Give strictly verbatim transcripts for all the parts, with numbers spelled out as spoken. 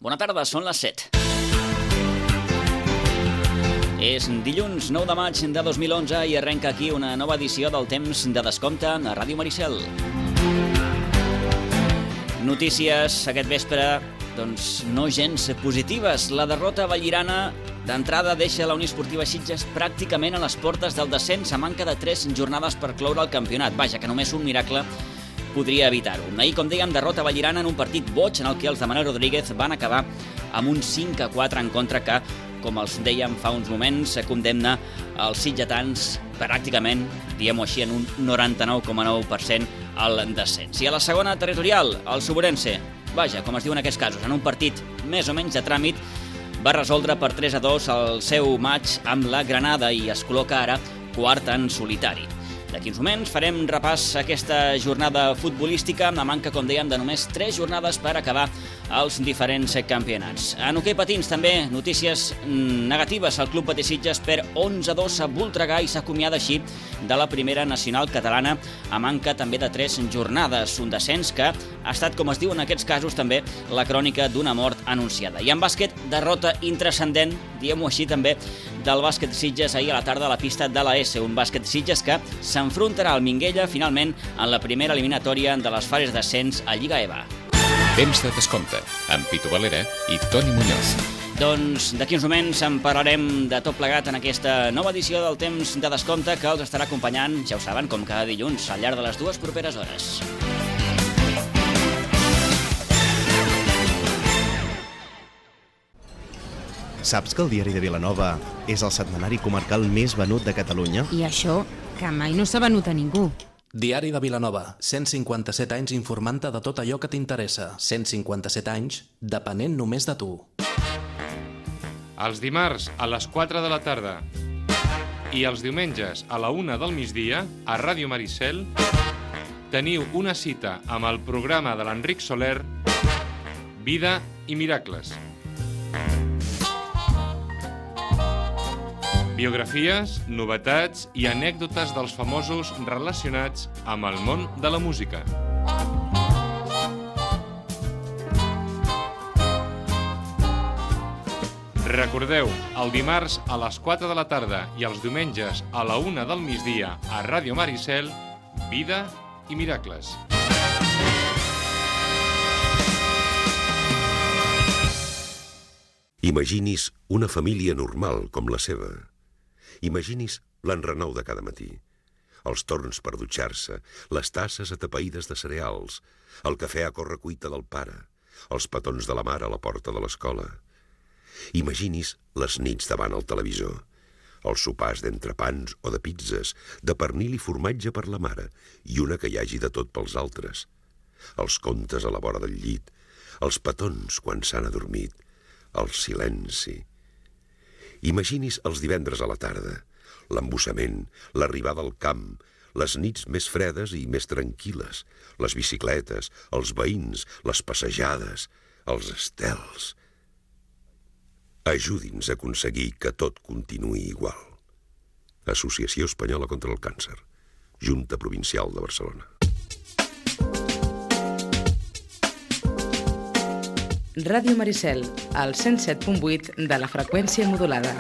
Bona tarda, són les set. És dilluns nou de maig de dos mil onze i arrenca aquí una nova edició del Temps de Descompte a Ràdio Maricel. Notícies aquest vespre, doncs no gens positives. La derrota vallirana d'entrada deixa la Unió Esportiva Sitges pràcticament a les portes del descens a manca de tres jornades per cloure el campionat. Vaja, que només un miracle podria evitar-ho. Ahir, com dèiem, derrota vallirana en un partit boig en el que els de Manel Rodríguez van acabar amb un cinc a quatre en contra que, com els dèiem fa uns moments, condemna els sitgetans pràcticament, diguem-ho així, en un noranta-nou coma nou per cent al descens. I a la segona territorial, el Suburense, vaja, com es diu en aquests casos, en un partit més o menys de tràmit, va resoldre per tres a dos el seu matx amb la Granada i es col·loca ara quart en solitari. D'aquí uns moments farem repàs a aquesta jornada futbolística amb la manca, com dèiem, de només tres jornades per acabar els diferents campionats. En hoquei patins també notícies negatives. El Club Patí Sitges perd onze a dos a Voltregà i s'acomiada així de la primera nacional catalana a manca també de tres jornades. Un descens que ha estat, com es diu en aquests casos, també la crònica d'una mort anunciada. I en bàsquet, derrota intranscendent, diguem-ho així també, del bàsquet Sitges ahir a la tarda a la pista de la S. Un bàsquet Sitges que s'enfrontarà al Minguella finalment en la primera eliminatòria de les fases d'ascens a Lliga E V A. Temps de Descompte, amb Pitu Valera i Toni Muñoz. Doncs d'aquí uns moments en parlarem de tot plegat en aquesta nova edició del Temps de Descompte que els estarà acompanyant, ja ho saben, com cada dilluns, al llarg de les dues properes hores. Saps que el Diari de Vilanova és el setmanari comarcal més venut de Catalunya? I això, que mai no s'ha venut a ningú. Diari de Vilanova, cent cinquanta-set anys informant-te de tot allò que t'interessa. cent cinquanta-set anys, depenent només de tu. Els dimarts a les quatre de la tarda i els diumenges a la una del migdia a Ràdio Maricel teniu una cita amb el programa de l'Enric Soler, Vida i Miracles. Biografies, novetats i anècdotes dels famosos relacionats amb el món de la música. Recordeu, el dimarts a les quatre de la tarda i els diumenges a la una del migdia a Ràdio Maricel, Vida i Miracles. Imaginis una família normal com la seva. Imaginis l'enrenou de cada matí, els torns per dutxar-se, les tasses atapeïdes de cereals, el cafè a correcuita del pare, els petons de la mare a la porta de l'escola. Imaginis les nits davant el televisor, els sopars d'entrepans o de pizzas, de pernil i formatge per la mare i una que hi hagi de tot pels altres, els contes a la vora del llit, els petons quan s'han adormit, el silenci. Imaginis els divendres a la tarda, l'embussament, l'arribada al camp, les nits més fredes i més tranquil·les, les bicicletes, els veïns, les passejades, els estels. Ajudi'ns a aconseguir que tot continuï igual. Associació Espanyola contra el Càncer, Junta Provincial de Barcelona. Ràdio Maricel, al cent set punt vuit de la freqüència modulada.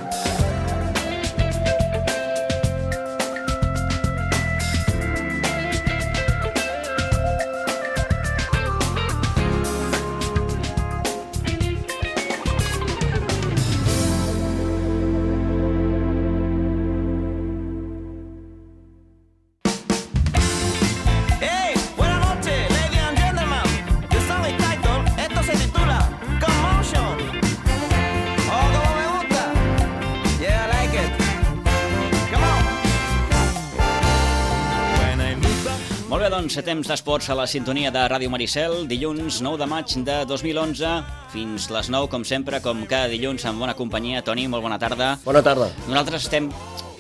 Doncs temps d'esports a la sintonia de Ràdio Maricel, dilluns nou de maig de dos mil onze, fins les nou, com sempre, com cada dilluns, en bona companyia. Toni, molt bona tarda. Bona tarda. Nosaltres estem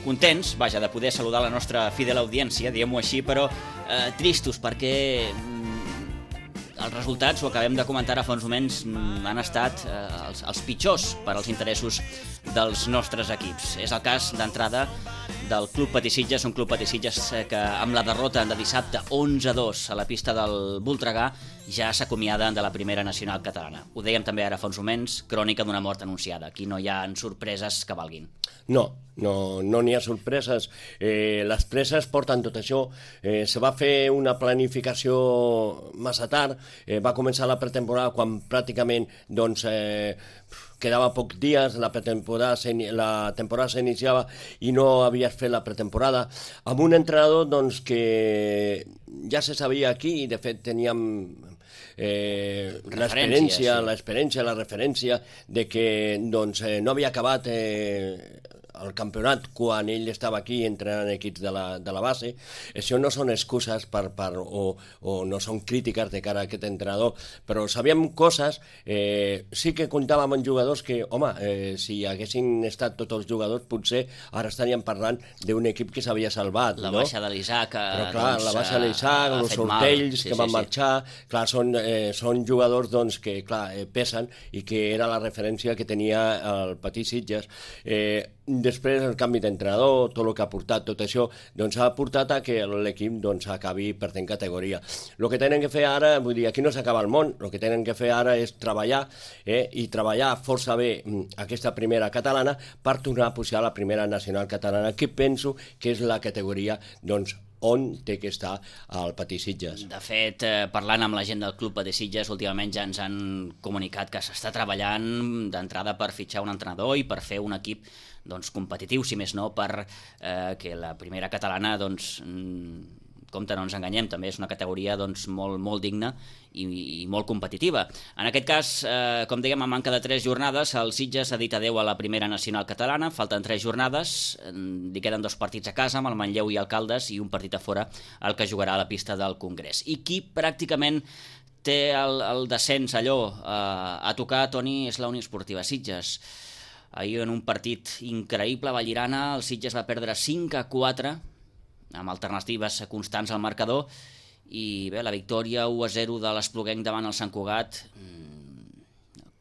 contents, vaja, de poder saludar la nostra fidel audiència, diguem-ho així, però eh, tristos perquè els resultats, ho acabem de comentar a fa uns moments, han estat eh, els, els pitjors per als interessos dels nostres equips. És el cas d'entrada del Club Patí Sitges, un Club Patí Sitges que amb la derrota de dissabte onze a dos a la pista del Voltregà ja s'acomiada de la primera nacional catalana. Ho dèiem també ara fa uns moments, crònica d'una mort anunciada. Aquí no hi ha sorpreses que valguin. No, no no n'hi ha sorpreses. Eh, les presses porten tot això. Eh, se va fer una planificació massa tard. Eh, va començar la pretemporada quan pràcticament doncs, eh, quedava pocs dies, la pretemporada la temporada s'iniciava i no havies fet la pretemporada, amb un entrenador doncs, que ja se sabia aquí i de fet teníem eh, l'experiència, sí. l'experiència, la referència de que doncs, eh, no havia acabat eh, el campionat quan ell estava aquí entrenant equips de la, de la base. Això no són excuses per, per, o, o no són crítiques de cara a aquest entrenador, però sabíem coses, eh, sí que comptàvem amb jugadors que, home, eh, si haguessin estat tots els jugadors, potser ara estaríem parlant d'un equip que s'havia salvat. La no? baixa de l'Isaac, però clar, doncs, la baixa de l'Isaac, els sortells sí, que van sí, marxar, sí. clar, són, eh, són jugadors doncs, que clar, eh, pesen i que era la referència que tenia el Patí Sitges. Eh, Després el canvi d'entrenador, tot el que ha portat, tot això, doncs ha portat a que l'equip doncs, acabi perdent categoria. El que tenen que fer ara, vull dir, aquí no s'acaba el món, el que tenen que fer ara és treballar, eh, i treballar força bé aquesta primera catalana per tornar a pujar a la primera nacional catalana, que penso que és la categoria, doncs, on té que estar el Patí Sitges. De fet, eh, parlant amb la gent del Club Patí Sitges, últimament ja ens han comunicat que s'està treballant d'entrada per fitxar un entrenador i per fer un equip doncs, competitiu, si més no, per eh, que la primera catalana, doncs, compte, no ens enganyem, també és una categoria doncs, molt, molt digna i, i molt competitiva. En aquest cas, eh, com dèiem, a manca de tres jornades, el Sitges ha dit adeu a la primera nacional catalana, falten tres jornades, li queden dos partits a casa, amb el Manlleu i el Caldes, i un partit a fora, el que jugarà a la pista del Congrés. I qui pràcticament té el, el descens allò eh, a tocar, Toni, és la Unió Esportiva Sitges. Ahir en un partit increïble a Vallirana, el Sitges va perdre cinc a quatre, amb alternatives constants al marcador, i bé, la victòria u a zero de l'Espluguenc davant el Sant Cugat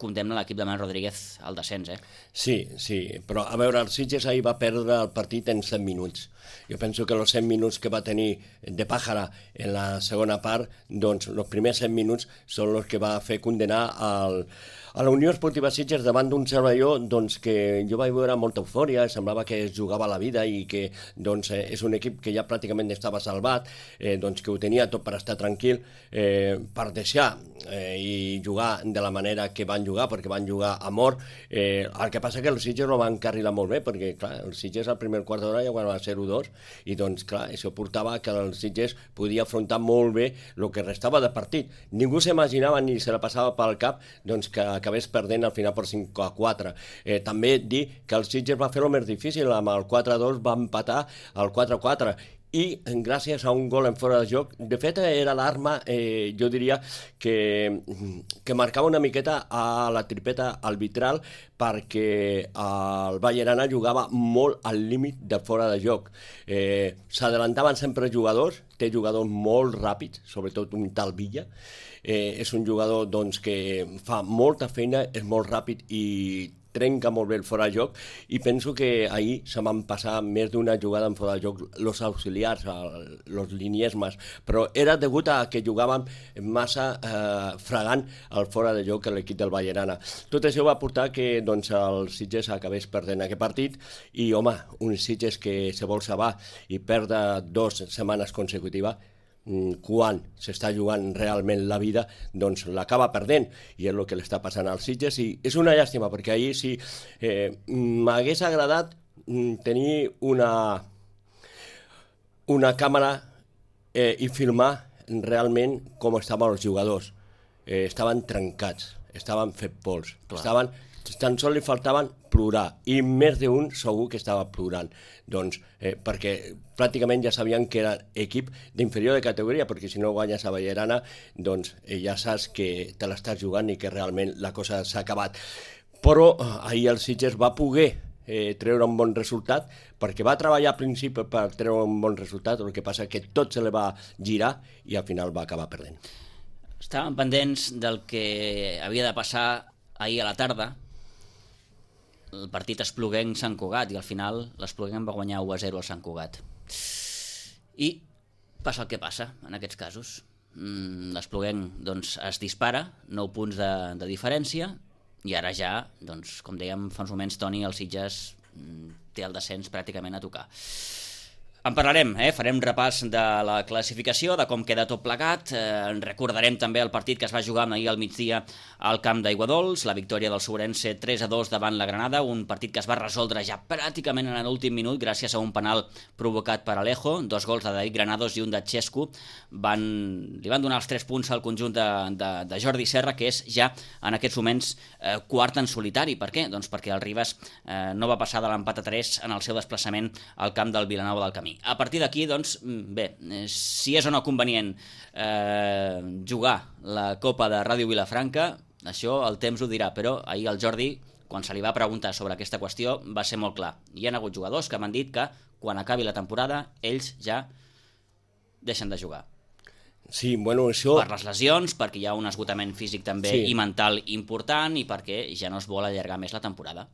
condemna l'equip de Manuel Rodríguez al descens, eh? Sí, sí, però a veure, el Sitges ahir va perdre el partit en set minuts. Jo penso que els set minuts que va tenir de Pàjara en la segona part, doncs els primers set minuts són els que va fer condenar al, a la Unió Esportiva Sitges davant d'un servalló doncs, que jo vaig veure molta eufòria, semblava que es jugava la vida i que doncs, és un equip que ja pràcticament estava salvat, eh, doncs, que ho tenia tot per estar tranquil, eh, per deixar eh, i jugar de la manera que van jugar, perquè van jugar a mort. Eh, el que passa que els Sitges no van carrilar molt bé, perquè clar, els Sitges al primer quart d'hora ja van zero dos, i doncs clar, això portava que els Sitges podia afrontar molt bé el que restava de partit. Ningú s'imaginava ni se la passava pel cap doncs, que acabés perdent al final per cinc a quatre. Eh, també dir que el Sitges va fer el més difícil, amb el quatre a dos va empatar el quatre a quatre, i gràcies a un gol en fora de joc, de fet era l'arma, eh, jo diria que, que marcava una miqueta a la tripeta arbitral, perquè el Vallirana jugava molt al límit de fora de joc. Eh, s'adelantaven sempre jugadors, té jugadors molt ràpids, sobretot un tal Villa, eh, és un jugador doncs, que fa molta feina, és molt ràpid i trenca molt bé el fora de joc, i penso que ahir se van passar més d'una jugada en fora de joc los auxiliars, los liniesmes, però era degut a que jugàvem massa eh, fregant el fora de joc a l'equip del Vallirana. Tot això va portar que doncs, el Sitges acabés perdent aquest partit, i home, un Sitges que se vol salvar i perdre dues setmanes consecutives, quan s'està jugant realment la vida, doncs l'acaba perdent, i és el que li està passant als Sitges, i és una llàstima, perquè ahir sí eh, m'hagués agradat tenir una una càmera eh, i filmar realment com estaven els jugadors. Eh, estaven trencats, estaven fet pols, estaven, tan sols li faltaven plorar, i més d'un segur que estava plorant, doncs, eh, perquè pràcticament ja sabien que era equip d'inferior de categoria, perquè si no guanyes a Vallirana, doncs eh, ja saps que te l'estàs jugant i que realment la cosa s'ha acabat. Però eh, ahir el Sitges va poder eh, treure un bon resultat, perquè va treballar al principi per treure un bon resultat, el que passa que tot se li va girar i al final va acabar perdent. Estàvem pendents del que havia de passar ahir a la tarda. El partit Espluguenc-Sant Cugat i al final l'Espluguenc va guanyar u a zero al Sant Cugat. I passa el que passa en aquests casos. L'Espluguenc doncs, es dispara, nou punts de, de diferència, i ara ja, doncs, com dèiem fa uns moments, Toni, el Sitges té el descens pràcticament a tocar. En parlarem, eh? Farem repàs de la classificació, de com queda tot plegat, eh, recordarem també el partit que es va jugar ahir al migdia al camp d'Aiguadols, la victòria del Sourense tres a dos davant la Granada, un partit que es va resoldre ja pràcticament en l'últim minut gràcies a un penal provocat per Alejo, dos gols de David Granados i un de Xesco, van, li van donar els tres punts al conjunt de, de, de Jordi Serra, que és ja en aquests moments eh, quart en solitari. Per què? Doncs perquè el Ribas eh, no va passar de l'empat a tres en el seu desplaçament al camp del Vilanova del Camí. A partir d'aquí, doncs, bé, si és o no convenient eh, jugar la Copa de Ràdio Vilafranca, això el temps ho dirà, però ahir el Jordi, quan se li va preguntar sobre aquesta qüestió, va ser molt clar. Hi ha hagut jugadors que m'han dit que quan acabi la temporada ells ja deixen de jugar. Sí, bueno, això... Per les lesions, perquè hi ha un esgotament físic també sí. i mental important i perquè ja no es vol allargar més la temporada.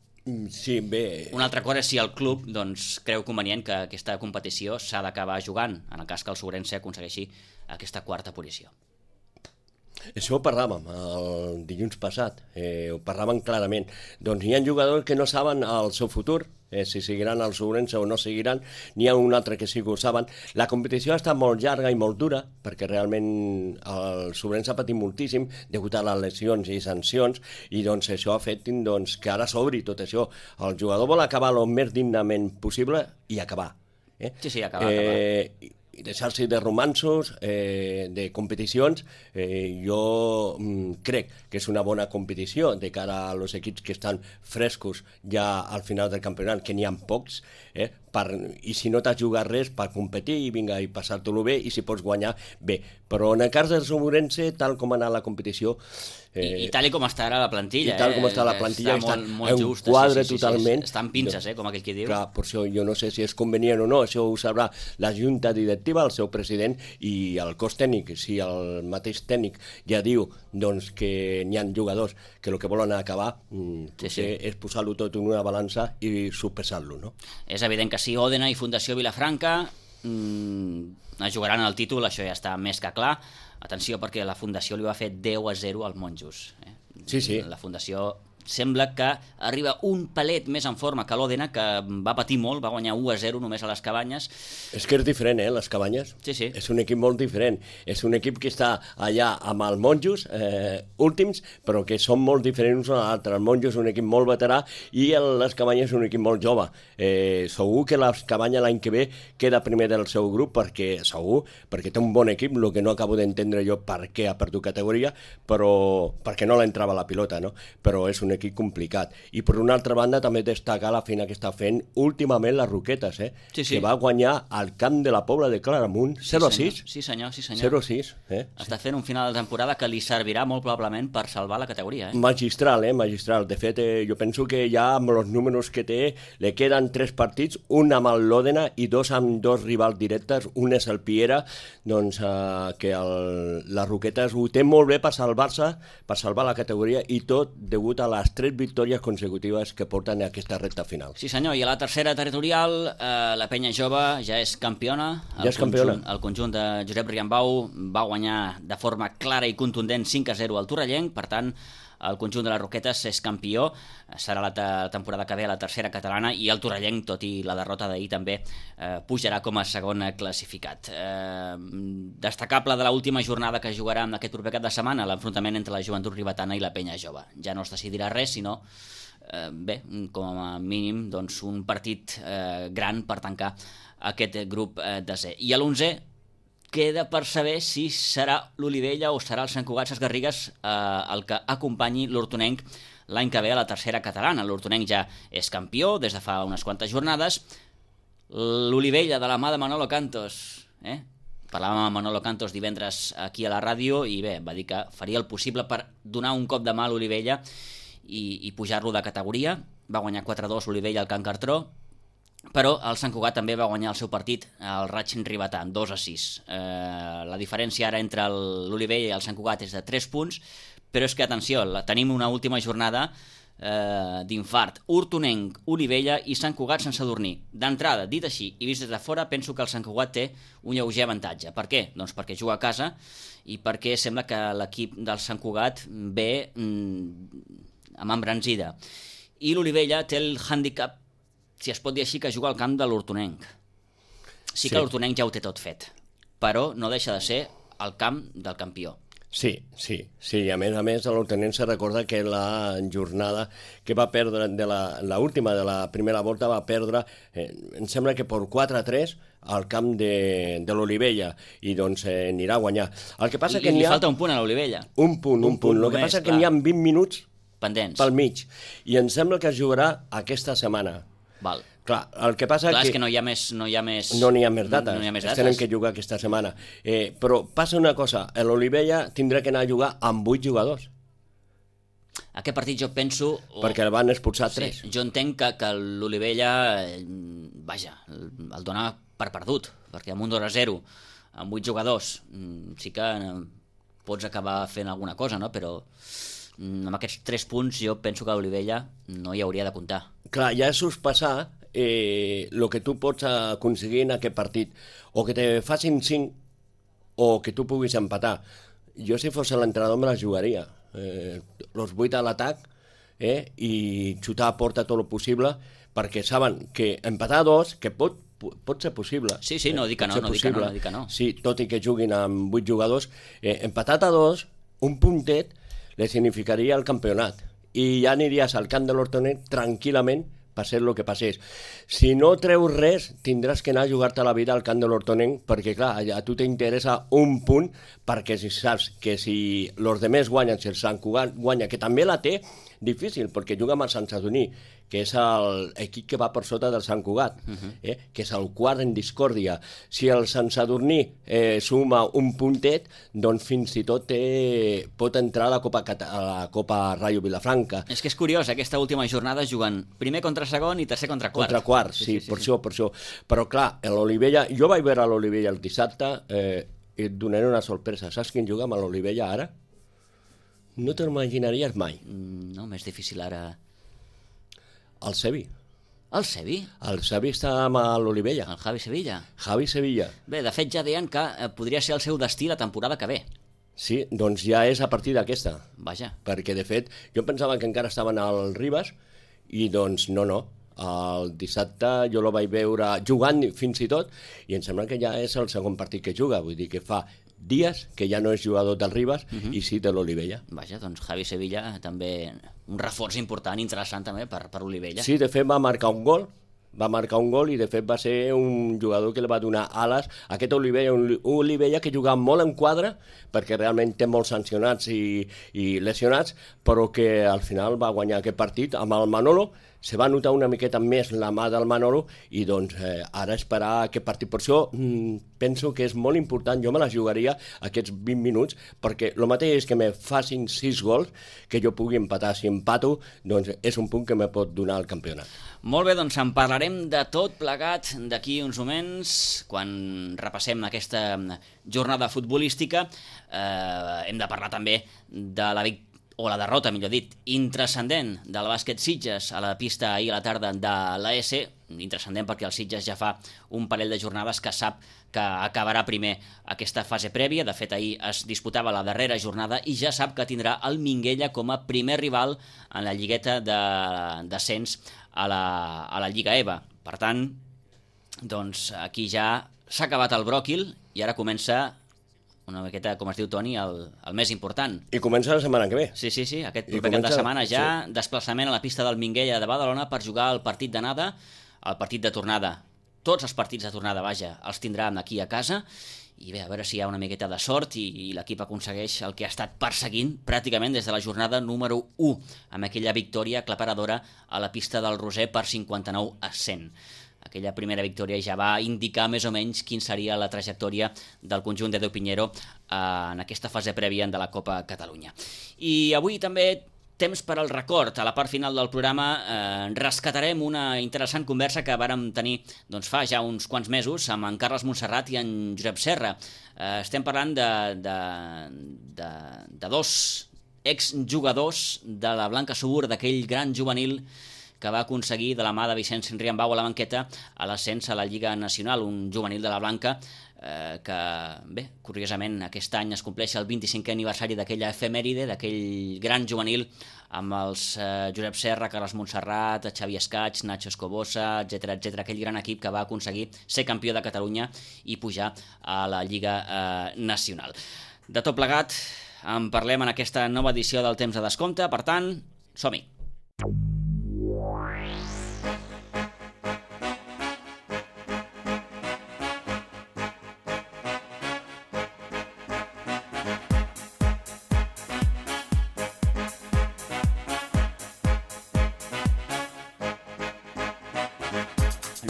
Sí, bé... Una altra cosa és si el club doncs, creu convenient que aquesta competició s'ha d'acabar jugant, en el cas que el Sourense aconsegueixi aquesta quarta posició. Això ho parlàvem el dilluns passat, eh, ho parlàvem clarament. Doncs hi ha jugadors que no saben el seu futur, eh, si seguiran al Sourense o no seguiran, n'hi ha un altre que sí que ho saben. La competició ha estat molt llarga i molt dura, perquè realment el Sourense ha patit moltíssim degut a les lesions i sancions, i doncs això ha fet doncs, que ara s'obri tot això. El jugador vol acabar el més dignament possible i acabar. Eh? Sí, sí, acabar, eh, acabar. I deixar-se de romanços, eh, de competicions, eh, jo mm, crec que és una bona competició de cara a los equips que estan frescos ja al final del campionat, que n'hi ha pocs, eh, per, i si no t'has jugat res, per competir i vinga, i passar-te-lo bé, i si pots guanyar, bé. Però en el cas del Sourense, tal com ha anat la competició... Eh, I, I tal com està ara la plantilla. I tal com està la plantilla, està, està molt, molt just, en quadre sí, sí, totalment. Sí, sí, està en pinces, eh, com aquell qui diu. Clar, per això jo no sé si és convenient o no, això ho sabrà la junta directiva, el seu president i el cos tècnic. Si el mateix tècnic ja diu doncs, que n'hi ha jugadors que el que volen acabar, mm, sí, sí. és posar-lo tot en una balança i sopesar-lo, no? És evident que sí, Òdena i Fundació Vilafranca mm, es jugaran el títol, això ja està més que clar. Atenció, perquè la Fundació li va fer deu a zero al Monjos. Eh? Sí, sí. La Fundació sembla que arriba un palet més en forma que l'Òdena, que va patir molt, va guanyar u a zero només a les Cabanyes. És que és diferent, eh, les Cabanyes. Sí, sí. És un equip molt diferent. És un equip que està allà amb el Monjos, eh, últims, però que són molt diferents un a l'altre. El Monjos és un equip molt veterà i el, les Cabanyes és un equip molt jove. Eh, segur que les Cabanyes l'any que ve queda primer del seu grup, perquè segur, perquè té un bon equip, el que no acabo d'entendre jo per què ha perdut categoria, però perquè no l'entrava la pilota, no? Però és un equip complicat. I per una altra banda també destacar la feina que està fent últimament les Roquetes, eh? Sí, sí. Que va guanyar al camp de la Pobla de Claramunt zero a sis. Sí, senyor, sí, senyor. zero a sis, eh? Està fent un final de temporada que li servirà molt probablement per salvar la categoria, eh? Magistral, eh? Magistral. De fet, eh, jo penso que ja amb els números que té li queden tres partits, un amb el l'Òdena i dos amb dos rivals directes, un és el Piera, doncs eh, que el, les Roquetes ho té molt bé per salvar-se, per salvar la categoria, i tot degut a les tres victòries consecutives que porten a aquesta recta final. Sí senyor, i a la tercera territorial eh, la Penya Jove ja és campiona. El ja és campiona. Conjunt, el conjunt de Josep Riambau va guanyar de forma clara i contundent cinc a zero al Torrellenc, per tant el conjunt de les Roquetes és campió, serà la temporada que ve a la tercera catalana, i el Torrellenc, tot i la derrota d'ahir, també eh, pujarà com a segon classificat. Eh, destacable de l'última jornada que jugarà en aquest proper cap de setmana, l'enfrontament entre la Joventut Ribetana i la Penya Jove. Ja no es decidirà res, sinó eh, bé, com a mínim doncs, un partit eh, gran per tancar aquest grup eh, desè. I a l'onzè queda per saber si serà l'Olivella o serà el Sant Cugat Ses Garrigues eh, el que acompanyi l'Hortonenc l'any que ve a la tercera catalana. L'Hortonenc ja és campió des de fa unes quantes jornades. L'Olivella, de la mà de Manolo Cantos, eh? Parlàvem amb Manolo Cantos divendres aquí a la ràdio i bé, va dir que faria el possible per donar un cop de mà a l'Olivella i, i pujar-lo de categoria. Va guanyar quatre a dos l'Olivella al Can Cartró. però el Sant Cugat també va guanyar el seu partit al Racing Ribetà, dos a sis. Eh, la diferència ara entre l'Olivella i el Sant Cugat és de tres punts, però és que, atenció, la, tenim una última jornada eh, d'infart. Hortonenc, Olivella i Sant Cugat Sant Sadurní. D'entrada, dit així i vist des de fora, penso que el Sant Cugat té un lleuger avantatge. Per què? Doncs perquè juga a casa i perquè sembla que l'equip del Sant Cugat ve mm, amb embranzida. I l'Olivella té el hàndicap, si es pot dir així, que juga al camp de l'Hortonenc. Sí, sí que l'Hortonenc ja ho té tot fet, però no deixa de ser el camp del campió. Sí, sí, sí, i a més a més l'Hortonenc se recorda que la jornada que va perdre, de la, la última de la primera volta va perdre, eh, em sembla que per quatre a tres al camp de, de l'Olivella, i doncs eh, anirà a guanyar. El que passa I, que li n'hi ha... falta un punt a l'Olivella. Un punt, un, un punt. El que passa que n'hi ha vint minuts pendents pel mig, i em sembla que es jugarà aquesta setmana. Val. Clar, el que passa Clar, que... és que no hi ha més, no hi ha més... No n'hi ha més dates, no hi ha més es dates. tenen que jugar aquesta setmana. Eh, però passa una cosa, l'Olivella tindrà que anar a jugar amb vuit jugadors. Aquest partit jo penso... O... perquè el van expulsar sí, tres. Jo entenc que, que l'Olivella, eh, vaja, el dona per perdut, perquè amb un dos a zero, amb vuit jugadors, sí que pots acabar fent alguna cosa, no? Però amb aquests tres punts jo penso que l'Olivella no hi hauria de comptar. Clar, ja és sospesar eh, el que tu pots aconseguir en aquest partit, o que te facin cinc o que tu puguis empatar. Jo, si fos l'entrenador, me la jugaria. Eh, los vuit a l'atac eh, i xutar a porta tot el possible, perquè saben que empatar dos, que pot, pot ser possible. Sí, sí, no dic que no, no dic que no, no dic que no. Sí, tot i que juguin amb vuit jugadors, eh, empatat a dos, un puntet, li significaria el campionat. I ja aniries al camp de l'Hortonenc tranquil·lament, passés el que passés. Si no treus res, tindràs que anar a jugar-te la vida al camp de l'Hortonenc, perquè clar, a tu t'interessa un punt, perquè si saps que si els demés guanyen, si el Sant Cugat guanya, que també la té difícil, perquè juga amb el Sant Sadurní, que és l'equip que va per sota del Sant Cugat, uh-huh. eh, que és el quart en discòrdia. Si el Sant Sadurní eh, suma un puntet, doncs fins i tot eh, pot entrar a la Copa, a la Copa Rayo Vilafranca. És que és curiós, aquesta última jornada juguen primer contra segon i tercer contra quart. Contra quart, sí, sí, sí, sí per sí. això, per això. Però clar, l'Olivella, jo vaig veure l'Olivella el dissabte, eh, i et donaré una sorpresa. Saps quin juga amb l'Olivella ara? No te l'imaginaries mai. No, més difícil ara... El Sevi. El Sevi? El Sevi està amb l'Olivella. El Javi Sevilla. Javi Sevilla. Bé, de fet ja deien que podria ser el seu destí la temporada que ve. Sí, doncs ja és a partir d'aquesta. Vaja. Perquè, de fet, jo pensava que encara estaven al Ribes i, doncs, no, no. El dissabte jo lo vaig veure jugant fins i tot i em sembla que ja és el segon partit que juga. Vull dir que fa dies que ja no és jugador del Ribes uh-huh. i sí de l'Olivella. Vaja, doncs Javi Sevilla també un reforç important, interessant també per, per Olivella. Sí, de fet va marcar un gol, va marcar un gol i de fet va ser un jugador que li va donar ales a aquest Olivella, un Olivella que jugava molt en quadre perquè realment té molts sancionats i, i lesionats, però que al final va guanyar aquest partit amb el Manolo. Se va notar una miqueta més la mà del Manolo i doncs eh, ara esperar aquest partit. Per això mm, penso que és molt important, jo me la jugaria aquests vint minuts, perquè el mateix és que me facin sis gols, que jo pugui empatar. Si empato, doncs és un punt que me pot donar el campionat. Molt bé, doncs en parlarem de tot plegat d'aquí uns moments, quan repassem aquesta jornada futbolística. Eh, hem de parlar també de la victòria, o la derrota, millor dit, intrascendent del bàsquet Sitges a la pista ahir a la tarda de l'A S, intrascendent perquè el Sitges ja fa un parell de jornades que sap que acabarà primer aquesta fase prèvia. De fet, ahir es disputava la darrera jornada i ja sap que tindrà el Minguella com a primer rival en la lligueta de descens a la, a la Lliga EVA. Per tant, doncs aquí ja s'ha acabat el bròquil i ara comença una miqueta, com es diu Toni, el, el més important. I comença la setmana que ve. Sí, sí, sí, aquest proper cap de setmana ja, sí. Desplaçament a la pista del Minguella de Badalona per jugar el partit d'anada, el partit de tornada. Tots els partits de tornada, vaja, els tindrà aquí a casa, i bé, a veure si hi ha una miqueta de sort i, i l'equip aconsegueix el que ha estat perseguint pràcticament des de la jornada número u, amb aquella victòria aclaparadora a la pista del Roser per cinquanta-nou a cent. Aquella primera victòria ja va indicar més o menys quin seria la trajectòria del conjunt de Déu Pinheiro en aquesta fase prèvia de la Copa Catalunya. I avui també temps per al record. A la part final del programa eh, rescatarem una interessant conversa que vàrem tenir doncs, fa ja uns quants mesos amb en Carles Montserrat i en Josep Serra. Eh, estem parlant de, de, de, de dos exjugadors de la Blanca Subur, d'aquell gran juvenil que va aconseguir de la mà de Vicenç Riambau a la banqueta a l'ascens a la Lliga Nacional, un juvenil de la Blanca eh, que, bé, curiosament aquest any es compleix el vint-i-cinquè aniversari d'aquella efemèride, d'aquell gran juvenil amb els eh, Josep Serra, Carles Montserrat, Xavi Escaig, Nacho Escobosa, etcètera, etcètera, aquell gran equip que va aconseguir ser campió de Catalunya i pujar a la Lliga eh, Nacional. De tot plegat, en parlem en aquesta nova edició del Temps de Descompte, per tant, som-hi!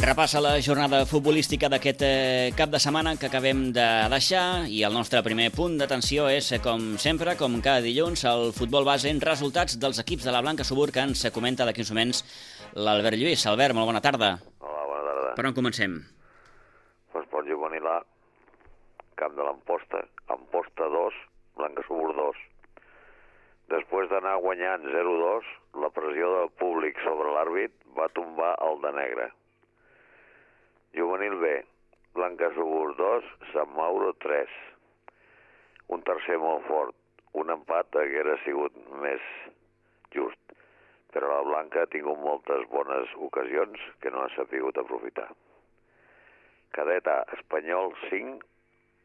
Repassa la jornada futbolística d'aquest eh, cap de setmana que acabem de deixar i el nostre primer punt d'atenció és, com sempre, com cada dilluns, el futbol base en resultats dels equips de la Blanca Subur que ens comenta d'aquí uns moments l'Albert Lluís. Albert, molt bona tarda. Hola, bona tarda. Per on comencem? Esport Juvenil A, Camp de l'Amposta, Amposta dos, Blanca Subur dos. Després d'anar guanyant zero dos, la pressió del públic sobre l'àrbit va tombar el de negre. Juvenil B, Blanca Subur dos, Sant Mauro tres. Un tercer molt fort. Un empat hauria sigut més just, però la Blanca ha tingut moltes bones ocasions que no ha sapigut aprofitar. Cadet A, Espanyol cinc,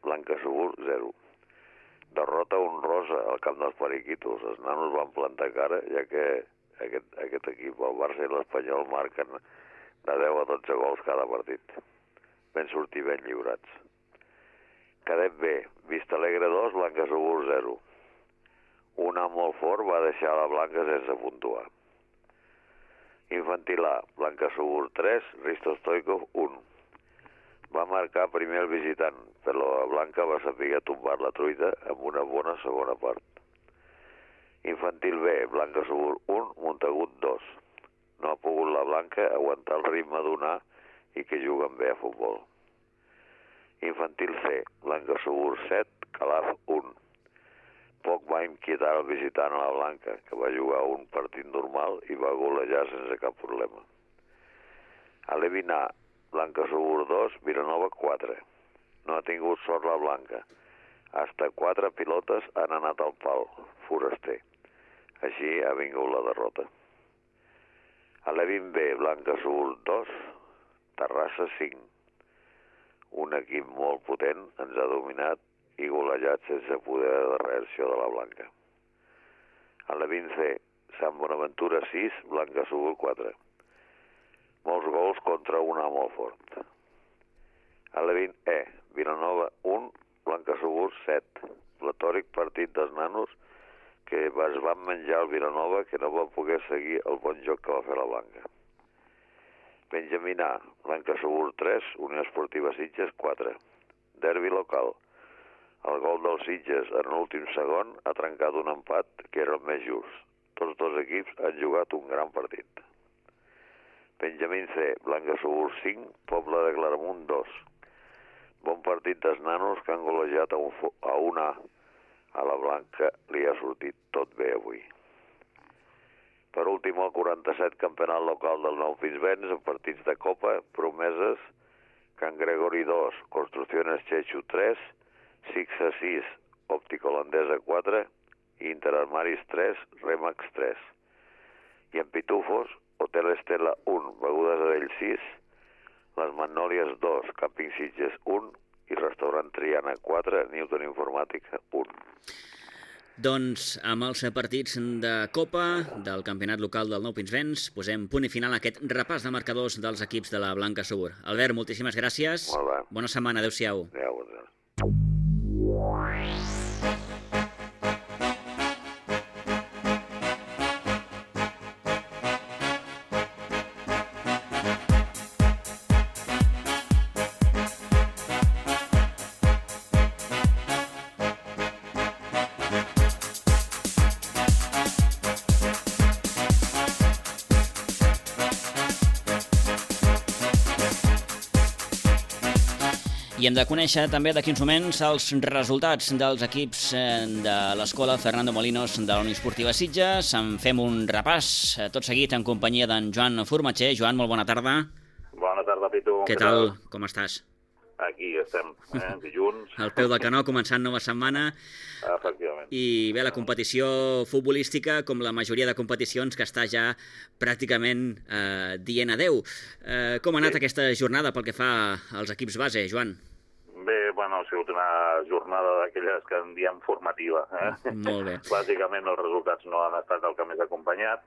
Blanca Subur zero. Derrota honrosa al camp dels Periquitos. Els nanos van plantar cara, ja que aquest, aquest equip, el Barça i l'Espanyol, marquen de deu a dotze gols cada partit. Ben sortir ben lliurats. Cadet B, Vistalegre dos, Blanca Subur zero. Un A molt fort va deixar la Blanca sense puntuar. Infantil A, Blanca Subur tres, Risto Stoikov un. Va marcar primer el visitant, però la Blanca va saber tombar la truita amb una bona segona part. Infantil B, Blanca Subur un, Montagut dos. No ha pogut la Blanca aguantar el ritme d'un A i que juguen bé a futbol. Infantil C, Blanca Subur set, Calaf un. Poc va inquietar el visitant a la Blanca, que va jugar un partit normal i va golejar sense cap problema. A l'Evin A, Blanca Subur dos, Vilanova quatre. No ha tingut sort la Blanca. Hasta quatre pilotes han anat al pal, foraster. Així ha vingut la derrota. A l'Evin B, Blanca Subur dos, Terrassa cinc. Un equip molt potent ens ha dominat i golejat sense poder de reacció de la Blanca. A l'Evin C, Sant Bonaventura sis, Blanca Subur quatre. Molts gols contra un A molt fort. A l'Evin E, Vilanova un, Blanca Subur set. Platòric partit dels nanos que es van menjar el Vilanova, que no va poder seguir el bon joc que va fer la Blanca. Benjamín A, Blanca Subur tres, Unió Esportiva Sitges quatre. Derbi local. El gol dels Sitges en l'últim segon ha trencat un empat que era el més just. Tots dos equips han jugat un gran partit. Benjamín C, Blanca Subur cinc, Pobla de Claramunt dos. Bon partit dels nanos que han golejat a un, a un A. A la Blanca li ha sortit tot bé avui. Per últim, el quaranta-set campionat local del Nou Pinsbens, en partits de Copa, promeses, Can Gregori dos, Construcciones Chechu tres, Sixa sis, Òptica Holandesa quatre, Interarmaris tres, Remax tres. I en Pitufos, Hotel Estela un, Begudes Adell sis, Les Magnòlies dos, Camping Sitges un i Restaurant Triana quatre, Newton Informàtica un. Doncs amb els partits de Copa del campionat local del Nou Pinsbens posem punt i final a aquest repàs de marcadors dels equips de la Blanca Subur. Albert, moltíssimes gràcies. Molt bé. Bona setmana, adeu-siau. Adéu, adéu. I hem de conèixer també d'aquí uns moments els resultats dels equips de l'escola Fernando Molinos de la Unió Esportiva Sitges. En fem un repàs tot seguit en companyia d'en Joan Formatxer. Joan, molt bona tarda. Bona tarda, Pitu. Què tal? Com estàs? Aquí estem, eh? Dilluns. Al peu del canó, començant nova setmana. Efectivament. I bé, la competició futbolística, com la majoria de competicions, que està ja pràcticament eh, dient adeu. Eh, com ha anat sí. aquesta jornada pel que fa als equips base, Joan? Bé, bueno, ha sigut una jornada d'aquelles que en diem formativa. Eh? Molt bé. Bàsicament els resultats no han estat el que més acompanyat,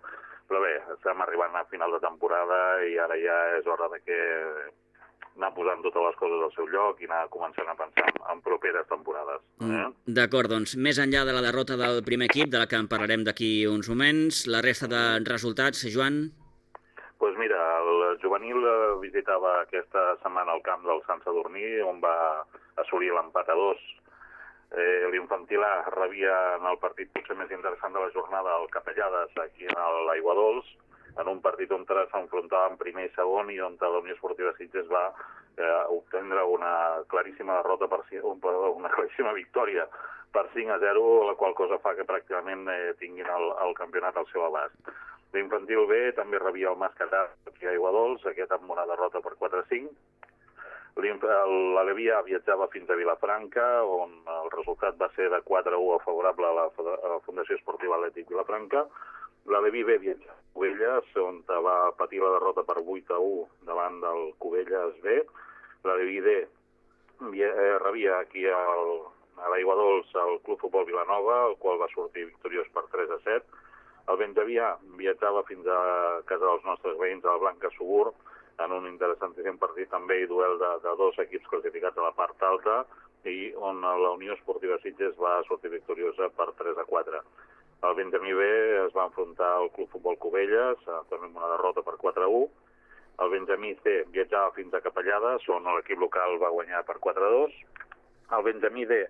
però bé, estem arribant a final de temporada i ara ja és hora de que anar posant totes les coses al seu lloc i anar començant a pensar en properes temporades. Eh? D'acord, doncs, més enllà de la derrota del primer equip, de la que en parlarem d'aquí uns moments, la resta de resultats, Joan? Doncs pues mira, el juvenil visitava aquesta setmana el camp del Sant Sadurní, on va assolir l'empat a dos. Eh, L'infantil A rebia en el partit potser més interessant de la jornada el Capellades, aquí a l'Aigua Dols, en un partit on s'enfrontaven primer i segon i on la Unió Esportiva Sitges va eh, obtendre una claríssima derrota, per, una claríssima victòria per cinc a zero, la qual cosa fa que pràcticament eh, tinguin el, el campionat al seu abast. L'infantil B també rebia el Mascatà aquí a Aiguadols, aquest amb una derrota per quatre a cinc. L'Alevia viatjava fins a Vilafranca, on el resultat va ser de quatre a u favorable a la, a la Fundació Esportiva Atlètic Vilafranca. L'Aleví B viatjava a Cubelles, on va patir la derrota per vuit a u davant del Cubelles B. L'Aleví D rebia aquí al, a l'Aigua Dols el Club Futbol Vilanova, el qual va sortir victoriós per tres a set. El Benjavià viatjava fins a casa dels nostres veïns, al Blanca Subur, en un interessantíssim partit també i duel de, de dos equips classificats a la part alta, i on la Unió Esportiva Sitges va sortir victoriosa per tres a quatre. El Benjamí B es va enfrontar al Club Futbol Cubelles, també amb una derrota per quatre a u. El Benjamí C viatjava fins a Capellades, on l'equip local va guanyar per quatre a dos. El Benjamí D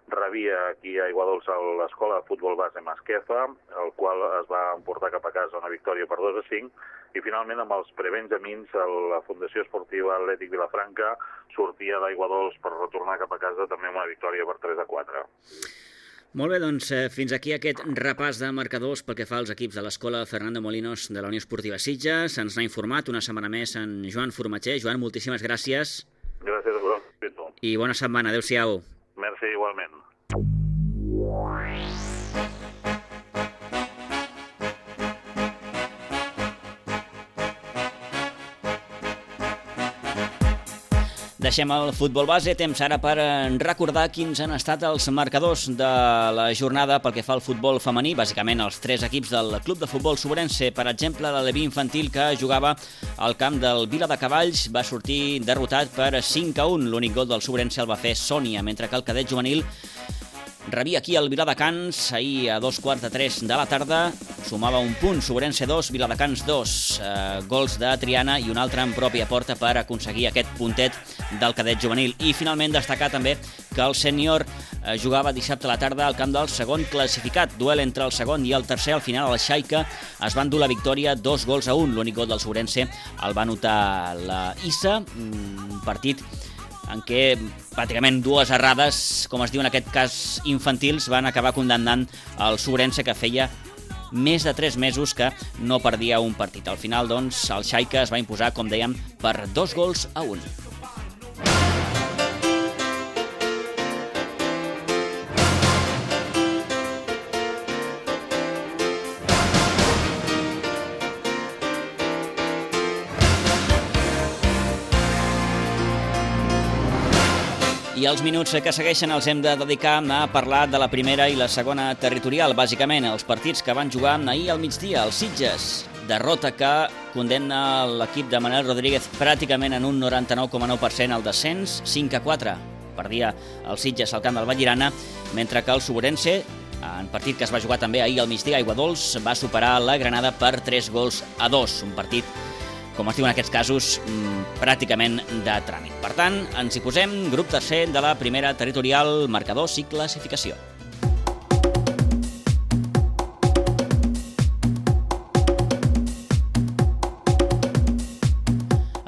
rebia aquí a Aiguadols a l'escola de futbol base Masquefa, el qual es va emportar cap a casa una victòria per dos a cinc. I finalment, amb els prebenjamins, la Fundació Esportiva Atlètic Vilafranca sortia d'Aiguadols per retornar cap a casa també amb una victòria per tres a quatre. Molt bé, doncs eh, fins aquí aquest repàs de marcadors pel que fa als equips de l'escola Fernando Molinos de la Unió Esportiva Sitges. Ens n'ha informat una setmana més en Joan Formatxer. Joan, moltíssimes gràcies. Gràcies a vosaltres. I bona setmana. Adéu-siau. Merci, igualment. Deixem el futbol base, temps ara per recordar quins han estat els marcadors de la jornada pel que fa al futbol femení, bàsicament els tres equips del Club de Futbol Sobrense. Per exemple, l'Aleví infantil, que jugava al camp del Vila de Cavalls, va sortir derrotat per cinc a un. L'únic gol del Sobrense el va fer Sònia, mentre que el cadet juvenil rebia aquí el Viladecans ahir a dos quarts de tres de la tarda, sumava un punt, Sobrense dos, Viladecans dos, eh, gols de Triana i un altre en pròpia porta per aconseguir aquest puntet del cadet juvenil. I finalment destacar també que el sènior eh, jugava dissabte a la tarda al camp del segon classificat, duel entre el segon i el tercer. Al final el Xaica es van dur la victòria dos gols a un, l'únic gol del Sobrense el va anotar la Issa, un partit en què pràcticament dues errades, com es diu en aquest cas infantils, van acabar condemnant el Sobrense, que feia més de tres mesos que no perdia un partit. Al final, doncs, el Xaica es va imposar, com dèiem, per dos gols a un. I els minuts que segueixen els hem de dedicar a parlar de la primera i la segona territorial. Bàsicament, els partits que van jugar ahir al migdia, els Sitges. Derrota que condemna l'equip de Manel Rodríguez pràcticament en un noranta-nou coma nou per cent al descens, cinc a quatre. Perdia el Sitges al camp del Vallirana, mentre que el Sobrense, en partit que es va jugar també ahir al migdia a Aiguadols, va superar la Granada per tres gols a dos. Un partit, com es diu en aquests casos, pràcticament de tràmit. Per tant, ens hi posem, grup tercer de la primera territorial, marcadors i classificació.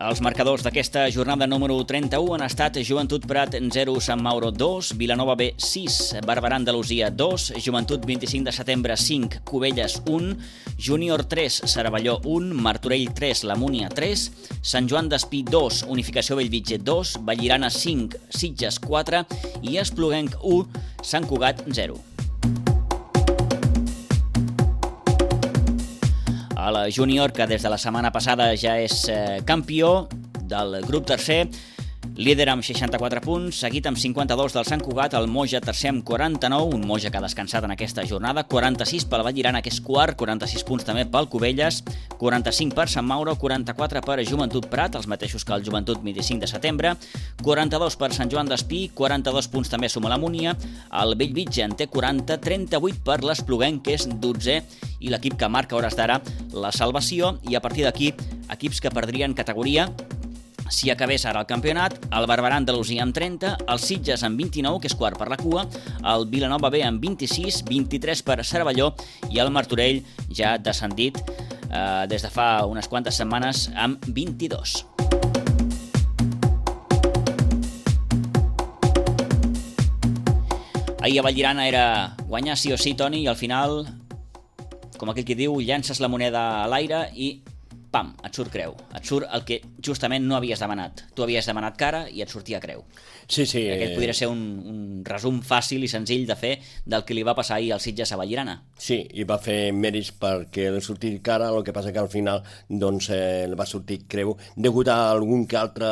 Els marcadors d'aquesta jornada número trenta-u han estat Joventut Prat zero, Sant Mauro dos, Vilanova B sis, Barberà Andalusia dos, Joventut vint-i-cinc de setembre cinc, Cubelles un, Júnior tres, Cervelló un, Martorell tres, La Múnia tres, Sant Joan d'Espí dos, Unificació Bellvitge dos, Vallirana cinc, Sitges quatre i Espluguenc u, Sant Cugat zero. A la Júnior, que des de la setmana passada ja és eh, campió del grup tercer, líder amb seixanta-quatre punts, seguit amb cinquanta-dos del Sant Cugat, el Moja tercer amb quaranta-nou, un Moja que ha descansat en aquesta jornada, quaranta-sis pel Vallirana, que és quart, quaranta-sis punts també pel Cubelles, quaranta-cinc per Sant Mauro, quaranta-quatre per Joventut Prat, els mateixos que el Joventut vint-i-cinc de setembre, quaranta-dos per Sant Joan d'Espí, quaranta-dos punts també suma la Múnia, el Bellvitge en té quaranta, trenta-vuit per l'Espluguenc, que és dotzè, i l'equip que marca a hores d'ara la salvació, i a partir d'aquí, equips que perdrien categoria si acabés ara el campionat, el Barberà Andalusia amb trenta, el Sitges amb vint-i-nou, que és quart per la cua, el Vilanova B amb vint-i-sis, vint-i-tres per Cervelló i el Martorell ja descendit eh, des de fa unes quantes setmanes amb vint-i-dos. Ahir a Vallirana era guanyar sí o sí, Toni, i al final, com aquell que diu, llances la moneda a l'aire i pam, et surt creu. Et surt el que justament no havies demanat. Tu havies demanat cara i et sortia creu. Sí, sí. Aquest podria ser un, un resum fàcil i senzill de fer del que li va passar ahir al Sitges a Vallirana. Sí, i va fer mèrits perquè li sortir cara, el que passa que al final doncs, eh, va sortir creu degut a algun que altre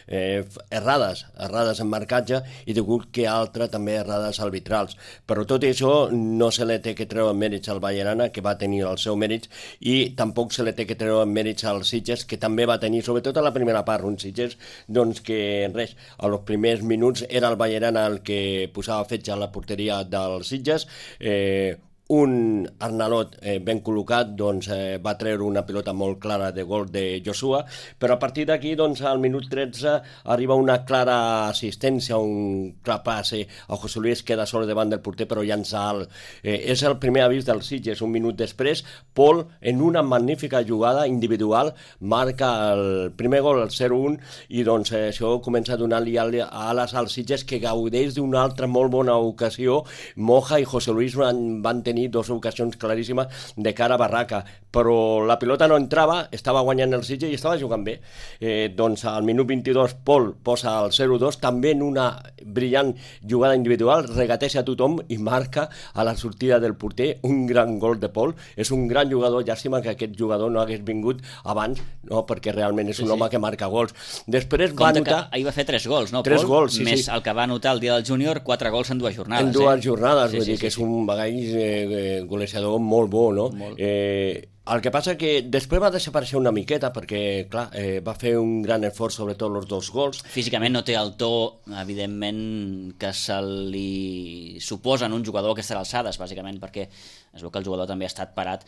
eh, errades, errades en marcatge i degut que altre també errades arbitrals. Però tot això no se li té que treure mèrits al Vallirana, que va tenir el seu mèrits, i tampoc se li té que treure mèrits als Sitges, que també va tenir, sobretot a la primera part, un Sitges doncs, que res, a los primers minuts era el Vallirana el que posava fetge a la porteria dels Sitges, eh, un Arnalot eh, ben col·locat doncs, eh, va treure una pilota molt clara de gol de Joshua, però a partir d'aquí doncs, al minut tretze arriba una clara assistència, un clar passe a José Luis, queda sol davant del porter però llança alt. Eh, és el primer avís dels Sitges. Un minut després Pol, en una magnífica jugada individual, marca el primer gol, el zero un, i doncs eh, això comença a donar-li ales als Sitges, que gaudeix d'una altra molt bona ocasió. Moja i José Luis van, van tenir dues ocasions claríssimes de cara a barraca, però la pilota no entrava, estava guanyant el Sitges i estava jugant bé. Eh, doncs al minut vint-i-dos Pol posa el zero dos, també en una brillant jugada individual, regateja a tothom i marca a la sortida del porter un gran gol de Pol. És un gran jugador, llàstima que aquest jugador no hagués vingut abans, no, perquè realment és un sí, home sí. que marca gols. Després va Compte anotar... que ahir va fer tres gols, no, tres Pol? Gols, sí, més sí. el que va anotar el dia del júnior, quatre gols en dues jornades. En dues eh? jornades, sí, vull sí, dir sí, que és sí. un bagall eh, golejador molt bo, no? Molt. Eh, el que passa que després va desaparèixer una miqueta perquè, clar, eh, va fer un gran esforç, sobretot els dos gols. Físicament no té el to, evidentment, que se li suposa en un jugador a aquestes alçades, bàsicament, perquè es veu que el jugador també ha estat parat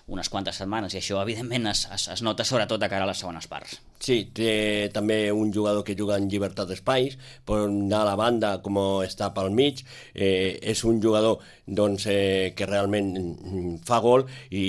unes quantes setmanes, i això evidentment es, es, es nota sobretot de cara a les segones parts. Sí, té també un jugador que juga en llibertat d'espais, pot anar a la banda com està pel mig, eh, és un jugador doncs, eh, que realment fa gol i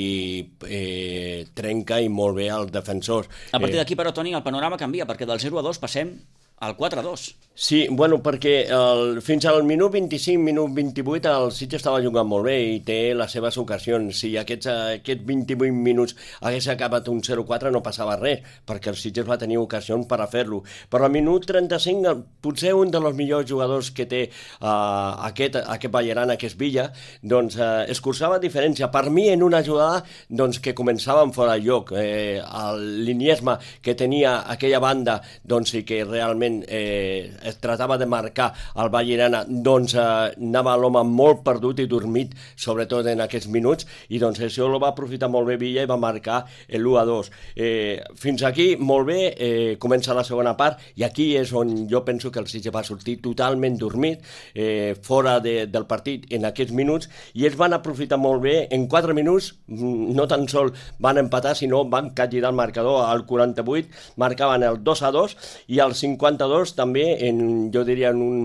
eh, trenca i molt bé als defensors. A partir d'aquí, però, Toni, el panorama canvia, perquè del zero a dos passem al quatre a dos. Sí, bueno, perquè el, fins al minut vint-i-cinc, minut vint-i-vuit el Sitges estava jugant molt bé i té les seves ocasions. Si aquests, aquests vint-i-vuit minuts hagués acabat un zero quatre no passava res, perquè el Sitges va tenir ocasions per a fer-lo. Però al minut trenta-cinc, potser un dels millors jugadors que té uh, aquest, aquest Vallirana, que és Villa, doncs uh, escurçava diferència. Per mi, en una jugada doncs, que començava fora de lloc, eh, l'iniesme que tenia aquella banda doncs, i que realment eh, es tratava de marcar el Vallirana, doncs eh, anava l'home molt perdut i dormit, sobretot en aquests minuts, i doncs això lo va aprofitar molt bé Villa i va marcar l'u a dos. Eh, fins aquí, molt bé, eh, comença la segona part, i aquí és on jo penso que el Sitges va sortir totalment dormit, eh, fora de, del partit en aquests minuts, i ells van aprofitar molt bé, en quatre minuts, no tan sol van empatar, sinó van capgirar el marcador al quaranta-vuit, marcaven el dos a dos, i al cinquanta-dos també, en, jo diria en un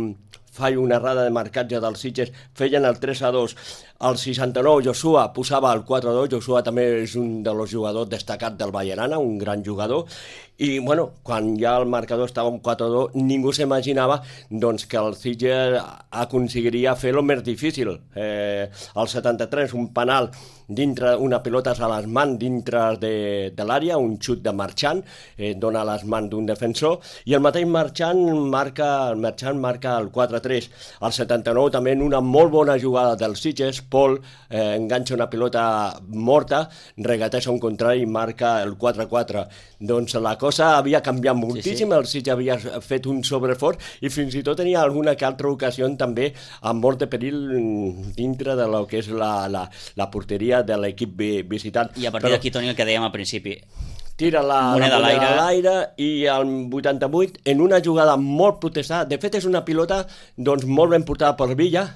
fallo, una errada de marcatge dels Sitges, feien el tres a dos. Al seixanta-nou Joshua posava el quatre a dos, Joshua també és un dels jugadors destacats del Vallerana, un gran jugador, i bueno, quan ja el marcador estava un quatre a dos, ningú s'imaginava doncs, que el Sitges aconseguiria fer-lo més difícil. Eh, al setanta-tres, un penal dintre, una pilota a les mans dintre de, de l'àrea, un xut de Marchant, eh, dona a les mans d'un defensor, i el mateix Marchant marca, el Marchant marca el quatre a tres. Al setanta-nou també en una molt bona jugada del Sitges, Pol eh, enganxa una pilota morta, regateja un contrari i marca el quatre a quatre. Doncs la cosa havia canviat moltíssim, sí, sí. El Sitges havia fet un sobreesforç i fins i tot tenia alguna que altra ocasió també amb mort de perill dintre de lo que és la, la, la porteria de l'equip visitant. I a partir Però... d'aquí, Toni, el que dèiem al principi, tira la moneda a l'aire i al vuitanta-vuit, en una jugada molt protestada, de fet és una pilota doncs, molt ben portada per Villa,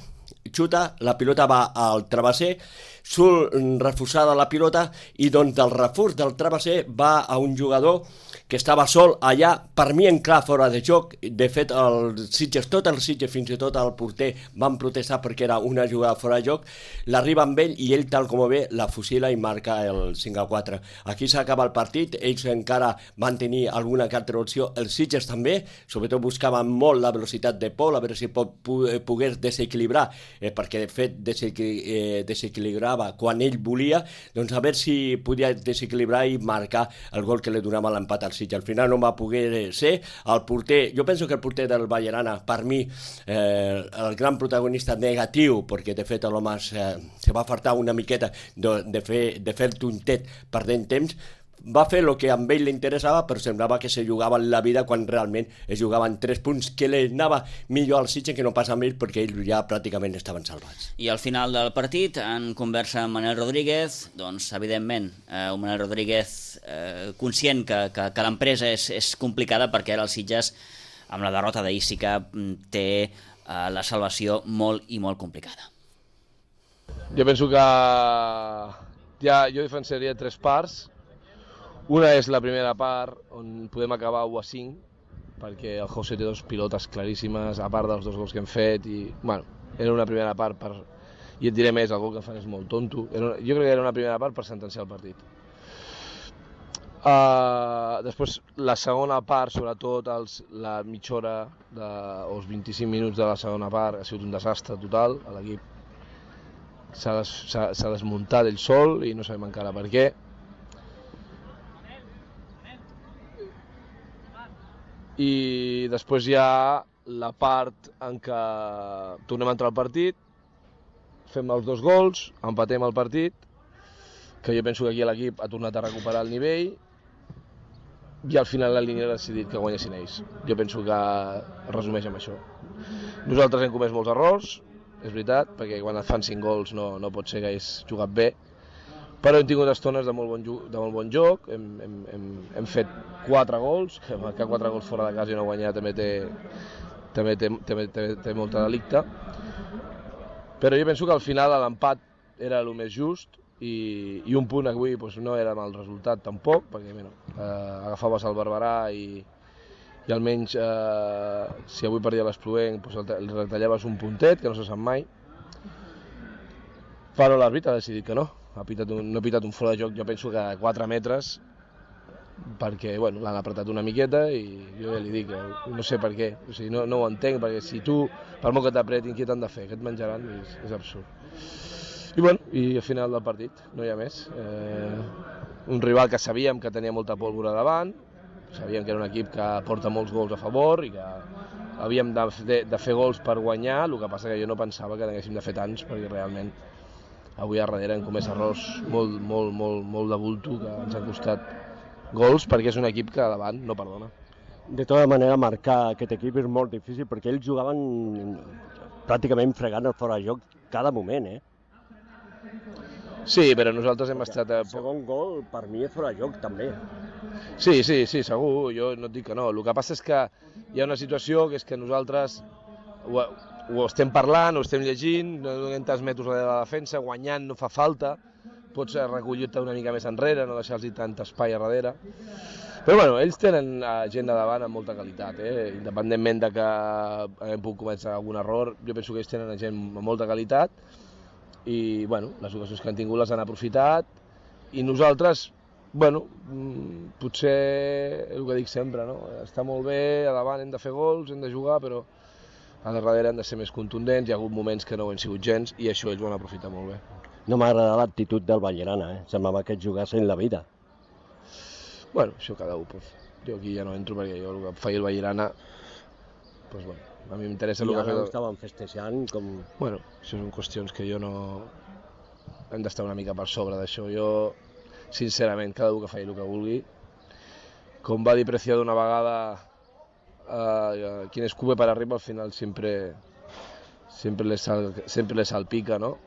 xuta, la pilota va al travesser, surt reforçada la pilota i doncs del reforç del travesser va a un jugador que estava sol allà, per mi en clar fora de joc. De fet, el Sitges, tot el Sitges, fins i tot el porter, van protestar perquè era una jugada fora de joc, l'arriba amb ell i ell, tal com ve, la fusila i marca el cinc a quatre. Aquí s'acaba el partit, ells encara van tenir alguna que altra opció, el Sitges també, sobretot buscaven molt la velocitat de Pol, a veure si pot, pogués desequilibrar, eh, perquè de fet desequil eh, desequilibrava quan ell volia, doncs a veure si podia desequilibrar i marcar el gol que li donava l'empat al Sitges. Al final no va poder ser. El porter, jo penso que el porter del Vallerana, per mi, eh, el gran protagonista negatiu, perquè de fet l'home se, se va fartar una miqueta de, de fer, de fer tontet perdent temps, va fer el que a ell li interessava, però semblava que se jugava la vida quan realment es jugaven tres punts que li anava millor al Sitges que no passa amb ells perquè ells ja pràcticament estaven salvats. I al final del partit, en conversa amb Manel Rodríguez, doncs evidentment, eh, Manel Rodríguez eh, conscient que, que, que l'empresa és, és complicada perquè ara el Sitges, amb la derrota d'ahir, sí que té eh, la salvació molt i molt complicada. Jo penso que ja, jo diferenciaria tres parts. Una és la primera part, on podem acabar u a cinc, perquè el José té dos pilotes claríssimes, a part dels dos gols que hem fet, i, bueno, era una primera part per... I et diré més, el gol que fan és molt tonto. Era una... Jo crec que era una primera part per sentenciar el partit. Uh, després, la segona part, sobretot els, la mitja hora de, o els vint-i-cinc minuts de la segona part, ha sigut un desastre total. L'equip s'ha des, desmuntat ell sol i no sabem encara per què. I després hi ha la part en què tornem a entrar al partit, fem els dos gols, empatem el partit, que jo penso que aquí l'equip ha tornat a recuperar el nivell i al final la línia ha decidit que guanyessin ells. Jo penso que es resumeix amb això. Nosaltres hem comès molts errors, és veritat, perquè quan et fan cinc gols no, no pot ser que hagués jugat bé, però hem tingut estones de molt bon, de molt bon joc, hem, hem, hem, hem fet quatre gols, que marcar quatre gols fora de casa i no guanyar també té, també té, també té, té molta delicte, però jo penso que al final l'empat era el més just i, i un punt avui doncs, no era mal resultat tampoc, perquè bueno, eh, agafaves el Barberà i, i almenys eh, si avui perdia l'Espluent doncs, el retallaves un puntet, que no se sap mai, però l'àrbitre ha decidit que no. Ha pitat un, no ha pitat un fora de joc, jo penso que a quatre metres, perquè bueno, l'han apretat una miqueta i jo ja li dic, no sé per què, o sigui, no, no ho entenc, perquè si tu, per molt que t'apretin, què t'han de fer? Què et menjaran? És, és absurd. I bueno, i al final del partit, no hi ha més. Eh, un rival que sabíem que tenia molta pólvora davant, sabíem que era un equip que porta molts gols a favor i que havíem de, de, de fer gols per guanyar, el que passa que jo no pensava que n'haguéssim de fer tants, perquè realment avui a darrere hem comès errors molt, molt, molt, molt de bulto que ens han costat gols perquè és un equip que davant no perdona. De tota manera, marcar aquest equip és molt difícil perquè ells jugaven pràcticament fregant el fora de joc cada moment, eh? Sí, però nosaltres hem estat... El segon gol per mi és fora de joc també. Sí, sí, sí, segur, jo no et dic que no. El que passa és que hi ha una situació que és que nosaltres ho, ho estem parlant, ho estem llegint, no donem tants metres a la defensa, guanyant no fa falta, pots recollir-te una mica més enrere, no deixar-los tant espai a darrere. Però bueno, ells tenen gent de davant amb molta qualitat, eh? Independentment de que haguem pogut cometre algun error, jo penso que ells tenen gent amb molta qualitat i bueno, les ocasions que han tingut les han aprofitat i nosaltres, bueno, potser el que dic sempre, no? Està molt bé, a davant hem de fer gols, hem de jugar, però a darrere hem de ser més contundents, hi ha hagut moments que no ho han sigut gens i això ells ho han aprofitat molt bé. No m'ha agradat l'actitud del Vallirana, eh? Semblava que jugassin la vida. Bueno, això cada un, pues. Jo aquí ja no entro perquè jo el que feia el Vallirana, pues bueno, a mi m'interessa el que ha fet... I ara ho estaven festejant com... Bueno, això són qüestions que jo no... Hem d'estar una mica per sobre d'això. Jo, sincerament, cada un que faci el que vulgui. Com va dir Preciado una vegada, uh, quien escupe para arriba al final siempre, siempre, le, sal, siempre le salpica, no?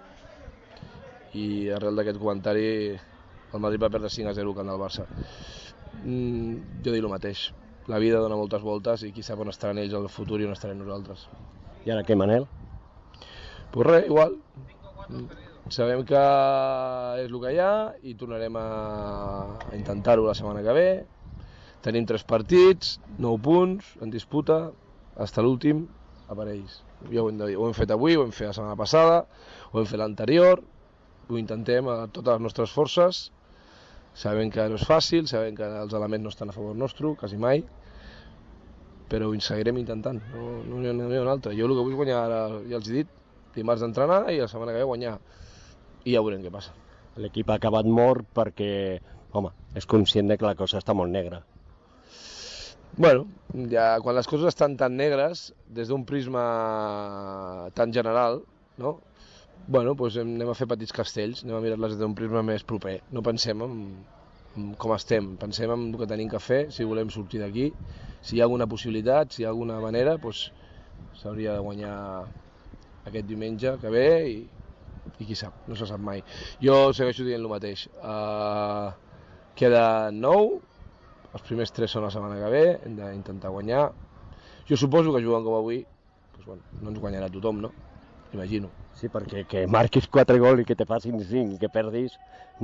I arrel d'aquest comentari el Madrid va perdre cinc a zero camp del Barça. Mm, jo dic el mateix, la vida dona moltes voltes i qui sap on estaran ells al futur i on estarem nosaltres. I ara què, Manel? Pues res, igual. Sabem que és el que hi ha i tornarem a, a intentar-ho la setmana que ve. Tenim tres partits, nou punts en disputa, fins a l'últim a per ells. Ja ho hem, de dir. Ho hem fet avui, ho hem fet la setmana passada, ho hem fet l'anterior, ho intentem a totes les nostres forces. Sabem que no és fàcil, sabem que els elements no estan a favor nostre, quasi mai, però ho seguirem intentant, no, no, hi ha, no hi ha un altre. Jo el que vull guanyar, ara ja els he dit, dimarts d'entrenar i la setmana que ve guanyar, i ja veurem què passa. L'equip ha acabat mort perquè, home, és conscient de que la cosa està molt negra. Bueno, ja, quan les coses estan tan negres, des d'un prisma tan general, no? Bueno, doncs anem a fer petits castells, anem a mirar-les des d'un prisma més proper. No pensem en, en com estem, pensem en el que tenim que fer, si volem sortir d'aquí. Si hi ha alguna possibilitat, si hi ha alguna manera, doncs s'hauria de guanyar aquest diumenge que ve i, i qui sap, no se sap mai. Jo segueixo dient el mateix. Uh, queda nou, els primers tres són la setmana que ve, hem d'intentar guanyar. Jo suposo que jugant com avui, doncs, bueno, no ens guanyarà tothom, no? Imagino. Sí, perquè que marquis quatre gols i que te facin cinc i que perdis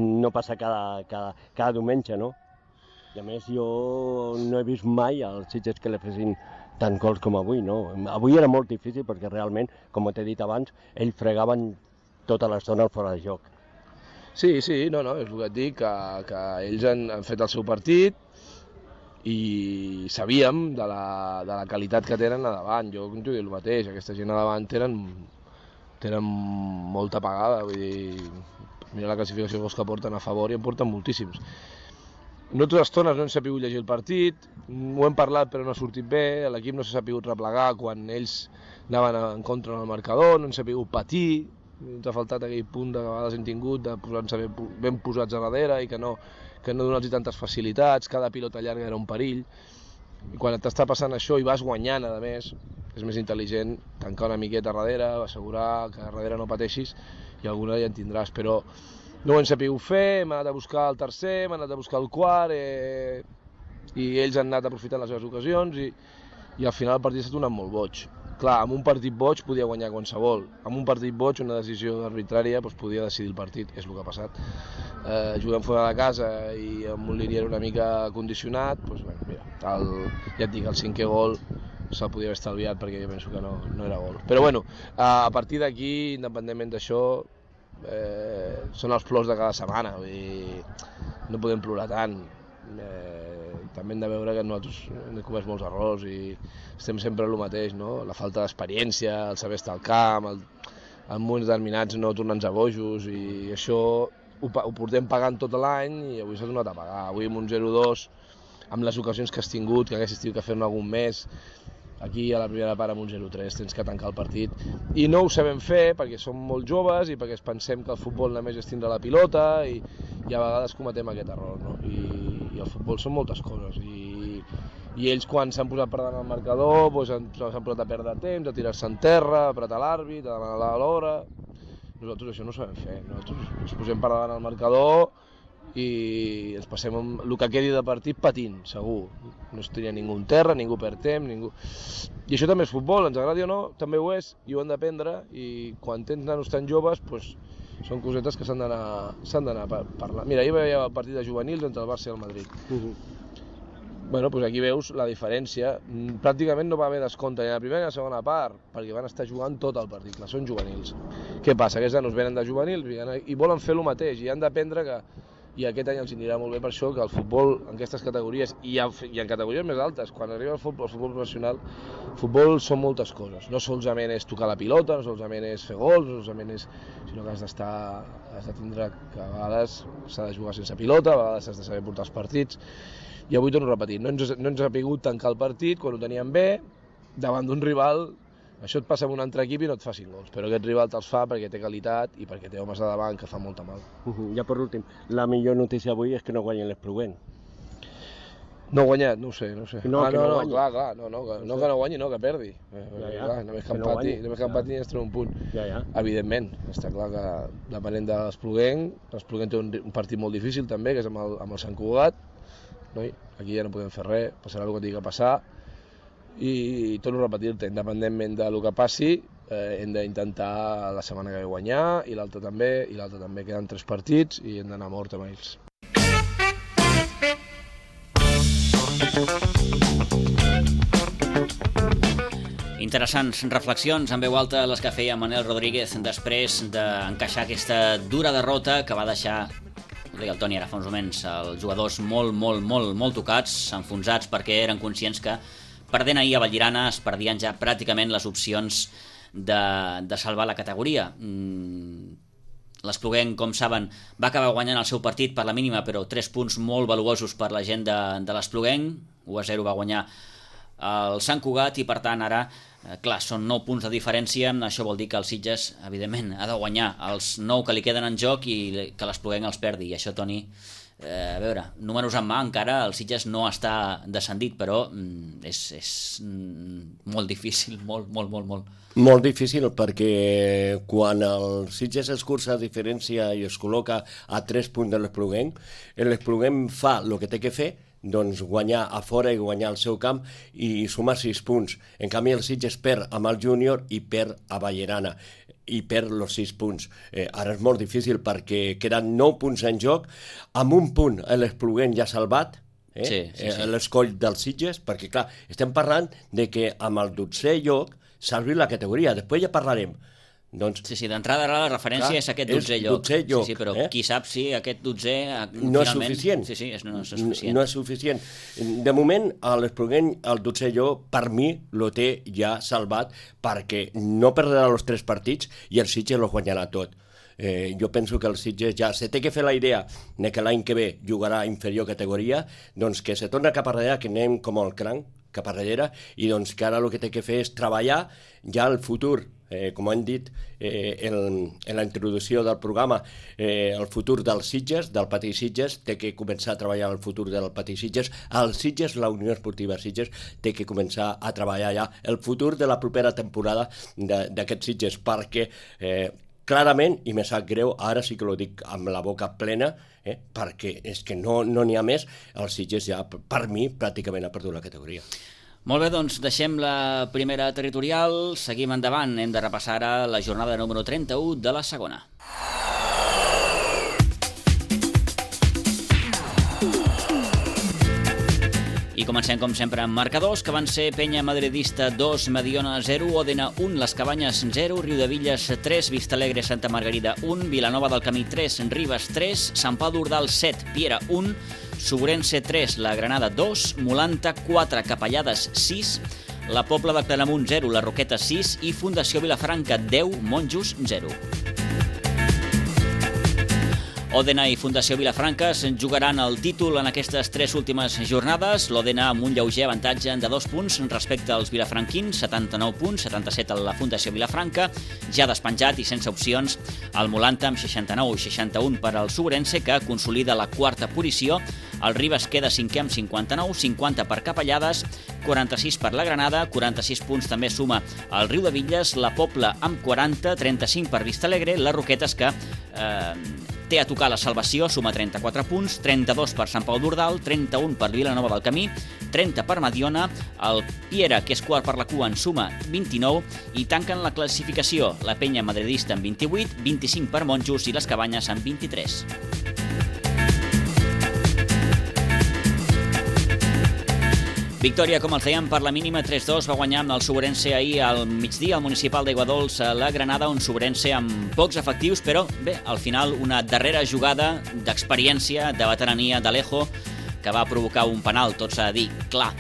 no passa cada, cada, cada diumenge, no? I a més jo no he vist mai als Sitges que li fessin tant gols com avui, no? Avui era molt difícil perquè realment, com t'he dit abans, ells fregaven tota l'estona fora de joc. Sí, sí, no, no, és el que et dic, que, que ells han, han fet el seu partit i sabíem de la, de la qualitat que tenen a davant. Jo com t'ho dic el mateix, aquesta gent a davant tenen, tenen molta pagada, vull dir, mira la classificació de gols que porten a favor i en porten moltíssims. Nosaltres estones no hem sabut llegir el partit, ho hem parlat però no ha sortit bé, l'equip no s'ha sabut replegar quan ells anaven en contra del marcador, no hem sabut patir, ens ha faltat aquell punt de vegades hem tingut de posar-nos ben posats a darrere i que no, que no donar-los tantes facilitats, cada pilota llarga era un perill. I quan t'està passant això i vas guanyant, a més, és més intel·ligent tancar una miqueta a darrere, assegurar que a darrere no pateixis i alguna ja en tindràs, però no ho hem sabut fer, hem anat a buscar el tercer, hem anat a buscar el quart eh, i ells han anat aprofitant les seves ocasions i, i al final el partit s'ha tornat molt boig. Clar, amb un partit boig podia guanyar qualsevol, amb un partit boig una decisió arbitrària doncs podia decidir el partit, és el que ha passat. Eh, juguem fora de casa i amb un linier una mica condicionat, doncs, bueno, mira, el, ja et dic, el cinquè gol se'l podia haver estalviat perquè jo penso que no, no era gol. Però bueno, a partir d'aquí, independentment d'això, eh, són els plors de cada setmana, vull dir, no podem plorar tant. Eh, també hem de veure que nosaltres hem comès molts errors i estem sempre el mateix, no? La falta d'experiència, el saber estar al camp, el, en moments determinats no tornar-nos a bojos i això ho, ho portem pagant tot l'any i avui s'ha tornat a pagar. Avui amb un zero dos, amb les ocasions que has tingut, que haguessis tingut que fer-ne algun mes, aquí a la primera part amb un zero tres tens que tancar el partit i no ho sabem fer perquè som molt joves i perquè pensem que el futbol només és tindre la pilota i, i a vegades cometem aquest error, no? I, i el futbol són moltes coses i, i ells quan s'han posat per davant el marcador doncs s'han posat a perdre temps, a tirar-se en terra, a apretar l'àrbit, a demanar l'hora. Nosaltres això no ho sabem fer, nosaltres ens posem per davant el marcador i ens passem amb el que quedi de partit patint, segur. No es tenia ningú en terra, ningú perd temps, ningú... I això també és futbol, ens agradi o no, també ho és, i ho hem d'aprendre, i quan tens nanos tan joves, doncs, Són cosetes que s'han d'anar s'han d'anar parlant. Mira, ahir veia el partit de juvenils entre el Barça i el Madrid. Uh-huh. Bueno, doncs aquí veus la diferència. Pràcticament no va haver descompte ni a la primera ni a la segona part, perquè van estar jugant tot el partit, clar, són juvenils. Què passa? Aquests nanos venen de juvenils i volen fer el mateix, i han d'aprendre que, i aquest any els anirà molt bé per això, que el futbol en aquestes categories, i en, i en categories més altes, quan arriba el futbol, el futbol professional, el futbol són moltes coses. No solament és tocar la pilota, no solament és fer gols, no solament és... sinó que has d'estar, has de tindre que a vegades s'ha de jugar sense pilota, a vegades has de saber portar els partits. I avui torno a repetir, no ens, no ens ha pogut tancar el partit quan ho teníem bé, davant d'un rival. Això et passa amb un altre equip i no et fa cinc gols, però aquest rival te'ls fa perquè té qualitat i perquè té homes a davant que fan molta mal. Uh-huh. Ja per últim, la millor notícia avui és que no guanyen l'Espluguent. No ha guanyat, no ho sé, no ho sé. No, ah, que no, no, no, guanyi. clar, clar, no, no, que no, que no guanyi, no, que perdi. Eh, ja, ja. Clar, només que Que no empati, guanyi. només que empati ens treu un punt. Ja, ja. Evidentment, està clar que depenent de l'Espluguent, l'Espluguent té un, un partit molt difícil també, que és amb el, amb el Sant Cugat. Noi, aquí ja no podem fer res, passarà el que tingui que passar. I torno a repetir-te, independentment del que passi, eh, hem d'intentar la setmana que ve guanyar, i l'altra també, i l'altra també. Queden tres partits i hem d'anar a mort amb ells. Interessants reflexions en veu alta les que feia Manel Rodríguez després d'encaixar aquesta dura derrota que va deixar, ho deia el Toni ara fa uns moments, els jugadors molt, molt, molt, molt tocats, enfonsats, perquè eren conscients que perdent ahir a Vallirana es perdien ja pràcticament les opcions de, de salvar la categoria. Mm, L'Espluguent, com saben, va acabar guanyant el seu partit per la mínima, però tres punts molt valuosos per la gent de, de l'Espluguent. u a zero va guanyar el Sant Cugat i, per tant, ara, eh, clar, són nou punts de diferència. Això vol dir que el Sitges, evidentment, ha de guanyar els nou que li queden en joc i que l'Espluguent els perdi. I això, Toni, eh, a veure, números en mà, encara el Sitges no està descendit, però mm, és, és mm, molt difícil, molt, molt, molt, molt. Molt difícil, perquè quan el Sitges es cursa a diferència i es col·loca a tres punts de l'Espluguent, l'Espluguent fa el que té que fer, doncs guanyar a fora i guanyar al seu camp i sumar sis punts. En canvi, el Sitges perd amb el júnior i perd a Vallirana i perd els sis punts. Eh, ara és molt difícil perquè queden nou punts en joc, amb un punt l'Espluguent ja salvat, eh? Sí, sí, sí. eh, l'escoll del Sitges, perquè clar, estem parlant de que amb el dotzè lloc salvi la categoria, després ja parlarem. Doncs, sí, sí, d'entrada ara la referència clar, és aquest dotzè lloc. dotzè lloc. Sí, sí, però eh? qui sap si aquest dotzè no és suficient. Sí, sí, és, no, és suficient. No és suficient. De moment, l'Espluguent, el dotzè lloc, per mi, lo té ja salvat, perquè no perdrà els tres partits i el Sitges lo guanyarà tot. Eh, jo penso que el Sitges ja se té que fer la idea de que l'any que ve jugarà inferior categoria, doncs que se torna cap a darrere, que anem com el cranc cap a darrere, i doncs que ara el que té que fer és treballar ja el futur. Eh, com han dit eh, en, en la introducció del programa, eh, el futur dels Sitges, del Patí Sitges, té que començar a treballar el futur del Patí Sitges. El Sitges, la Unió Esportiva Sitges, té que començar a treballar ja el futur de la propera temporada d'aquests Sitges, perquè eh, clarament, i me sap greu, ara sí que ho dic amb la boca plena, eh, perquè és que no n'hi ha més, el Sitges ja, per mi, pràcticament ha perdut la categoria. Molt bé, doncs deixem la primera territorial, seguim endavant, hem de repassar ara la jornada número trenta-u de la segona. I comencem, com sempre, amb marcadors, que van ser Penya Madridista dos, Mediona zero, Òdena un, Les Cabanyes zero, Riudevilles tres, Vistalegre Santa Margarida un, Vilanova del Camí tres, Ribes tres, Sant Pau d'Ordal set, Piera un, Sobrense tres, La Granada dos, Molanta quatre, Capellades sis, La Pobla de Claramunt zero, La Roqueta sis i Fundació Vilafranca deu, Monjos zero. Òdena i Fundació Vilafranca jugaran el títol en aquestes tres últimes jornades. L'Òdena amb un lleuger avantatge de dos punts respecte als vilafranquins, setanta-nou punts, setanta-set a la Fundació Vilafranca, ja despenjat i sense opcions el Molanta amb seixanta-nou i seixanta-un per al Sobrense, que consolida la quarta posició. El Ribes queda cinquè amb cinquanta-nou, cinquanta per Capellades, quaranta-sis per la Granada, quaranta-sis punts també suma el Riudebitlles, la Pobla amb quaranta, trenta-cinc per Vistalegre, les Roquetes que eh, té a tocar la salvació, suma trenta-quatre punts, trenta-dos per Sant Pau d'Ordal, trenta-un per Vilanova del Camí, trenta per Mediona, el Piera, que és quart per la cua, en suma vint-i-nou, i tanquen la classificació la Penya Madridista amb vint-i-vuit, vint-i-cinc per Monjos i les Cabanyes amb vint-i-tres. Victòria, com els dèiem, per la mínima tres dos, va guanyar amb el Sobrense ahir al migdia al municipal d'Aiguadols a la Granada, un Sobrense amb pocs efectius, però bé, al final una darrera jugada d'experiència, de veterania d'Alejo, que va provocar un penal, tot s'ha de dir, clar.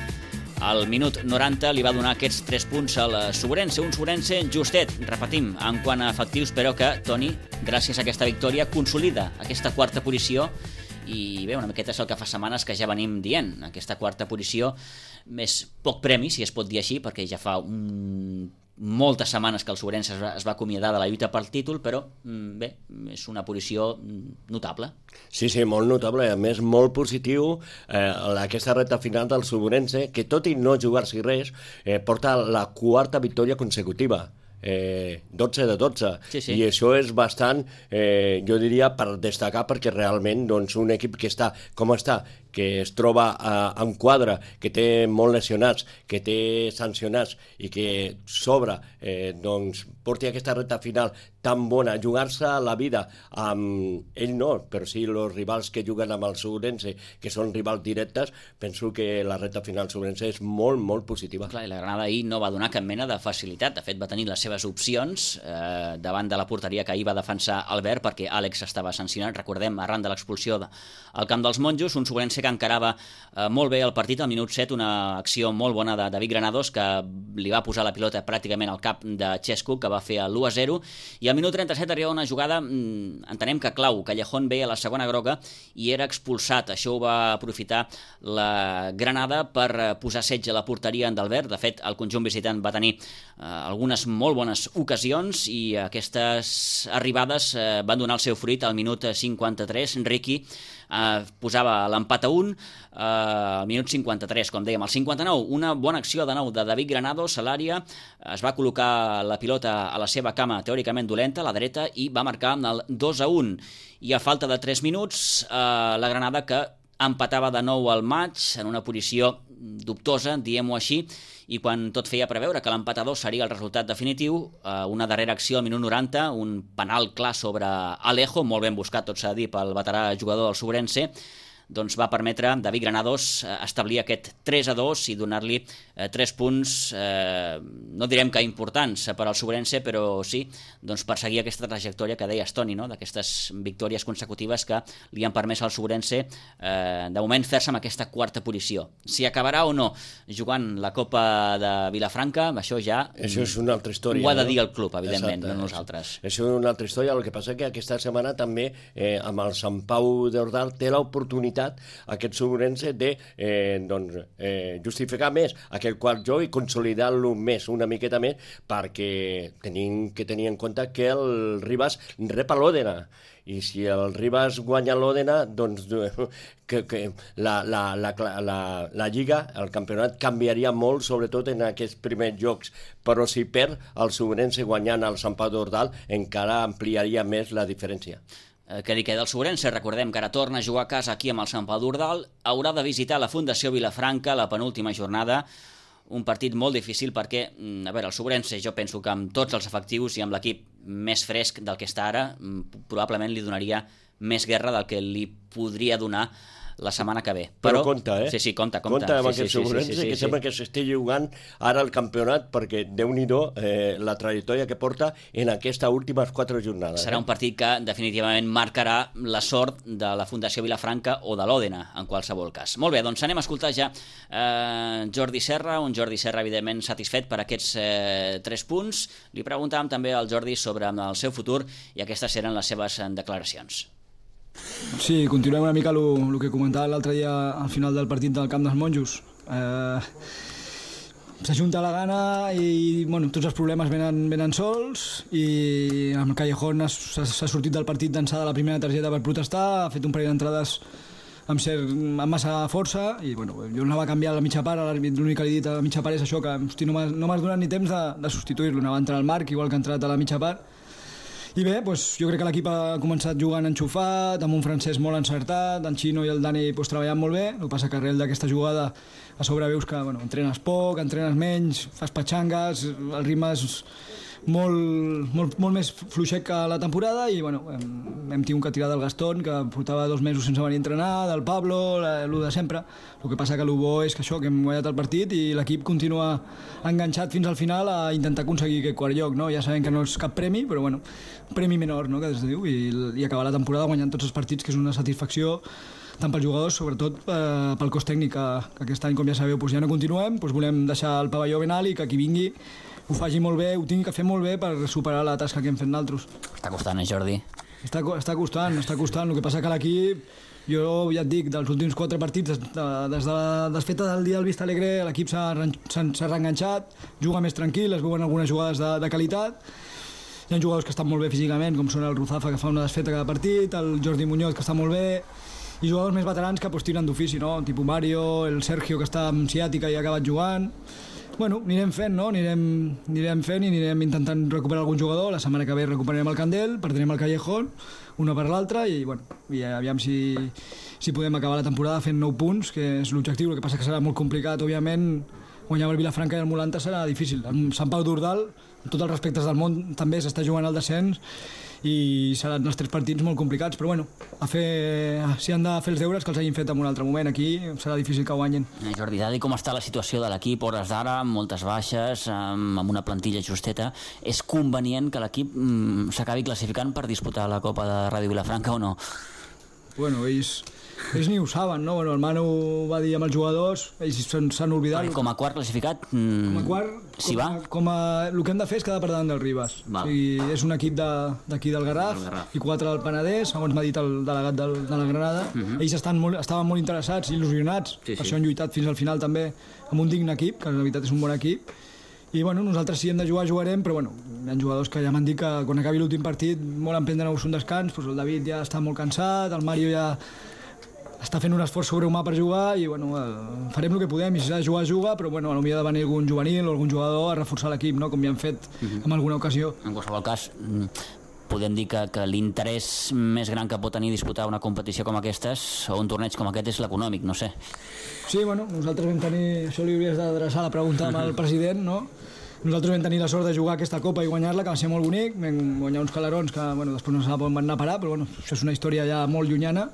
Al minut noranta li va donar aquests tres punts al Sobrense, un Sobrense justet, repetim, en quant a efectius, però que, Toni, gràcies a aquesta victòria, consolida aquesta quarta posició. I bé, una miqueta és el que fa setmanes que ja venim dient, aquesta quarta posició més poc premi, si es pot dir així, perquè ja fa un... moltes setmanes que el Sobrense es va, es va acomiadar de la lluita pel títol, però bé, és una posició notable. Sí, sí, molt notable, a més molt positiu eh, aquesta recta final del Sobrense, que tot i no jugar-s'hi res, eh, porta la quarta victòria consecutiva. Eh, dotze de dotze, sí, sí. I això és bastant, eh, jo diria, per destacar, perquè realment doncs, un equip que està com està, que es troba a, en quadre, que té molt lesionats, que té sancionats i que sobre eh, doncs, porti aquesta recta final tan bona, jugar-se la vida amb ell no, però sí els rivals que juguen amb el Sobrense, que són rivals directes, penso que la recta final Sobrense és molt, molt positiva. Clar, i la Granada ahir no va donar cap mena de facilitat, de fet va tenir les seves opcions eh, davant de la porteria que ahir va defensar Albert, perquè Àlex estava sancionat, recordem, arran de l'expulsió al camp dels Monjos, un Sobrense que encarava eh, molt bé el partit al minut set, una acció molt bona de David Granados, que li va posar la pilota pràcticament al cap de Xesco, que va fer el l'u a zero, i al minut trenta-set arriba una jugada, entenem que clau, Callejón veia la segona groga i era expulsat. Això ho va aprofitar la Granada per posar setge a la porteria d'Albert. De fet, el conjunt visitant va tenir eh, algunes molt bones ocasions i aquestes arribades eh, van donar el seu fruit al minut cinquanta-tres. Riqui Uh, posava l'empat a un uh, al minut cinquanta-tres, com dèiem. Al cinquanta-nou, una bona acció de nou de David Granados a l'àrea, es va col·locar la pilota a la seva cama teòricament dolenta, a la dreta, i va marcar el dos a un. I a falta de tres minuts, uh, la Granada, que empatava de nou al maig en una posició dubtosa, diguem-ho així, i quan tot feia preveure que l'empat a dos seria el resultat definitiu, eh, una darrera acció al minut noranta, un penal clar sobre Alejo, molt ben buscat, tot s'ha de dir, pel veterà jugador del Sobrense, doncs va permetre a David Granados establir aquest tres a dos i donar-li eh, tres punts, eh, no direm que importants per al Sobrense, però sí, doncs per seguir aquesta trajectòria que deies, Toni, no? D'aquestes victòries consecutives que li han permès al Sobrense eh, de moment fer-se amb aquesta quarta posició. Si acabarà o no jugant la Copa de Vilafranca, això ja això és una altra història, ho ha de dir no? el club, evidentment, Exacte, no nosaltres. Això és una altra història, el que passa que aquesta setmana també eh, amb el Sant Pau d'Ordal té l'oportunitat aquest Sobrense de eh, doncs, eh, justificar més aquell quart joc i consolidar-lo més, una miqueta més, perquè tenim que tenir en compte que el Ribas rep a l'Òdena, i si el Ribas guanya l'Òdena, doncs que, que la, la, la, la, la Lliga, el campionat canviaria molt, sobretot en aquests primers jocs, però si perd el Sobrense guanyant el Sant Pau d'Ordal, encara ampliaria més la diferència. Que li queda el Sobrense, recordem que ara torna a jugar a casa aquí amb el Sant Pau d'Ordal, haurà de visitar la Fundació Vilafranca la penúltima jornada, un partit molt difícil perquè, a veure, el Sobrense jo penso que amb tots els efectius i amb l'equip més fresc del que està ara, probablement li donaria més guerra del que li podria donar la setmana que ve. Però, però compta, eh? Sí, sí, compta, compta. Compta amb sí, aquest sí, Sobrense, sí, sí, sí, que sí. sembla que s'estigui jugant ara el campionat, perquè Déu-n'hi-do eh, la trajectòria que porta en aquestes últimes quatre jornades. Serà un partit que definitivament marcarà la sort de la Fundació Vilafranca o de l'Òdena, en qualsevol cas. Molt bé, doncs anem a escoltar ja eh, Jordi Serra, un Jordi Serra evidentment satisfet per aquests eh, tres punts. Li preguntàvem també al Jordi sobre el seu futur i aquestes eren les seves declaracions. Sí, continuem una mica el que comentava l'altre dia al final del partit del Camp dels Monjos. Eh, S'ajunta la gana i bueno, tots els problemes venen, venen sols, i el Callejón s'ha sortit del partit d'ençà de la primera targeta per protestar, ha fet un parell d'entrades amb, cert, amb massa força, i bueno, jo anava a canviar a la mitja part, l'únic que li he dit a la mitja part és això, que hosti, no m'has no donat ni temps de, de substituir-lo, anava a entrar al Marc, igual que ha entrat a la mitja part. I bé, doncs, jo crec que l'equip ha començat jugant enxufat, amb un francès molt encertat, en Xino i el Dani doncs, treballant molt bé, el que passa que arrel d'aquesta jugada a sobre veus que bueno, entrenes poc, entrenes menys, fas patxangues, el ritme és molt, molt, molt més fluixet que la temporada i bueno, hem, hem tingut que tirar del Gastón, que portava dos mesos sense venir a entrenar, del Pablo, el de sempre. El que passa que el bo és que això, que hem guanyat el partit i l'equip continua enganxat fins al final a intentar aconseguir aquest quart lloc, no? Ja sabem que no és cap premi, però bueno, premi menor, no? Que es diu, i, i acabar la temporada guanyant tots els partits, que és una satisfacció tant pels jugadors, sobretot eh, pel cos tècnic, que, que aquest any, com ja sabeu, doncs ja no continuem, doncs volem deixar el pavelló ben alt i que qui vingui ho faci molt bé, ho tingui que fer molt bé per superar la tasca que hem fet nosaltres. Està costant, eh, Jordi? Està, està costant, està costant. El que passa que l'equip, jo ja et dic, dels últims quatre partits, des de, des de la desfeta del dia del Vista Alegre, l'equip s'ha reenganxat, juga més tranquil, es veuen algunes jugades de, de qualitat. Hi ha jugadors que estan molt bé físicament, com són el Ruzafa, que fa una desfeta cada partit, el Jordi Muñoz, que està molt bé, i jugadors més veterans que pues, tiren d'ofici, no? Tipus Mario, el Sergio, que està amb ciàtica i ha acabat jugant. Bueno, anirem fent, no? Anirem, anirem fent i anirem intentant recuperar algun jugador. La setmana que ve recuperarem el Candel, perdrem el Callejón, una per l'altra, i, bueno, i aviam si, si podem acabar la temporada fent nou punts, que és l'objectiu. El que passa que serà molt complicat, òbviament, guanyar el Vilafranca i el Molanta serà difícil. Amb Sant Pau d'Ordal, amb tots els respectes del món, també s'està jugant al descens, i seran els tres partits molt complicats, però bueno, a fer, si han de fer els deures que els hagin fet en un altre moment, aquí serà difícil que guanyen. Eh, Jordi, dada com està la situació de l'equip hores d'ara, amb moltes baixes, amb, amb una plantilla justeta, és convenient que l'equip mm, s'acabi classificant per disputar la Copa de Ràdio Vilafranca o no? Bueno, ells, ells ni ho saben, no? Bueno, el Manu va dir amb els jugadors, ells s'han oblidat. Com a quart classificat, mm, com a quart, si com a, va? Com a, el que hem de fer és quedar per davant del Ribas. O sigui, és un equip d'aquí de, del Garraf, Garraf i quatre del Penedès, segons m'ha dit el delegat del, de la Granada. Uh -huh. Ells estan molt, estaven molt interessats, il·lusionats, sí, sí. Per això han lluitat fins al final també amb un digne equip, que en realitat és un bon equip. I bueno, nosaltres si hem de jugar, jugarem, però bueno, hi ha jugadors que ja m'han dit que quan acabi l'últim partit volen prendre-nos un descans, doncs el David ja està molt cansat, el Mario ja està fent un esforç sobrehumà per jugar i bueno, farem el que podem i si s'ha de jugar, juga, però bueno, potser ha de venir algun juvenil o algun jugador a reforçar l'equip, no? Com ja hem fet uh-huh. en alguna ocasió. En qualsevol cas, podem dir que, que l'interès més gran que pot tenir disputar una competició com aquestes o un torneig com aquest és l'econòmic, no sé. Sí, bueno, nosaltres vam tenir, això li hauries d'adreçar la pregunta amb el president, no? Nosaltres vam tenir la sort de jugar aquesta Copa i guanyar-la, que va ser molt bonic, vam guanyar uns calarons que bueno, després no sabem on van anar a parar, però bueno, això és una història ja molt llunyana.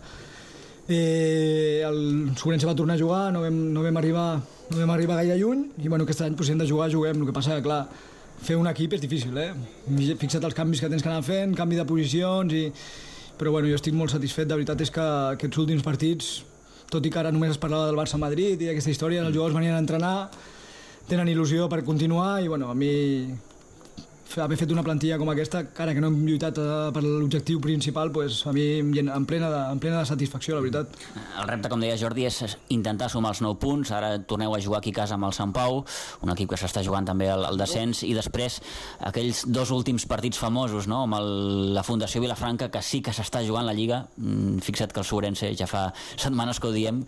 Eh, el Sobrense va tornar a jugar, no vam, no vam, arribar, no vam arribar gaire lluny i bueno, aquest any pues, si hem de jugar, juguem. El que passa que clar, fer un equip és difícil, eh? Fixa't els canvis que tens que anar fent, canvi de posicions i... però bueno, jo estic molt satisfet, de veritat és que aquests últims partits, tot i que ara només es parlava del Barça-Madrid i aquesta història, els jugadors venien a entrenar, tenen il·lusió per continuar i bueno, a mi haver fet una plantilla com aquesta, encara que no hem lluitat per l'objectiu principal, pues, a mi em plena, de, em plena de satisfacció, la veritat. El repte, com deia Jordi, és intentar sumar els nou punts. Ara torneu a jugar aquí a casa amb el Sant Pau, un equip que s'està jugant també al, al descens, i després aquells dos últims partits famosos, no? Amb el, la Fundació Vilafranca, que sí que s'està jugant la Lliga. Fixa't que el Sobrense ja fa setmanes que ho diem,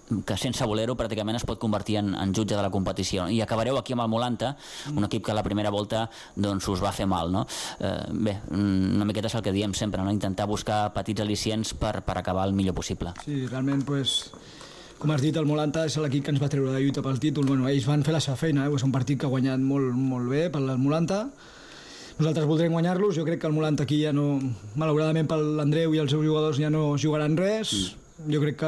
que sense voler-ho pràcticament es pot convertir en, en jutge de la competició. I acabareu aquí amb el Molanta, un equip que a la primera volta doncs, us va fer mal, no? Eh, bé, una miqueta és el que diem sempre, no? Intentar buscar petits al·licients per, per acabar el millor possible. Sí, realment, pues, com has dit, el Molanta és l'equip que ens va treure de lluita pel títol. Bueno, ells van fer la seva feina, eh? És un partit que ha guanyat molt, molt bé pel Molanta. Nosaltres voldrem guanyar-los. Jo crec que el Molanta aquí ja no... Malauradament per l'Andreu i els seus jugadors ja no jugaran res. Mm. Jo crec que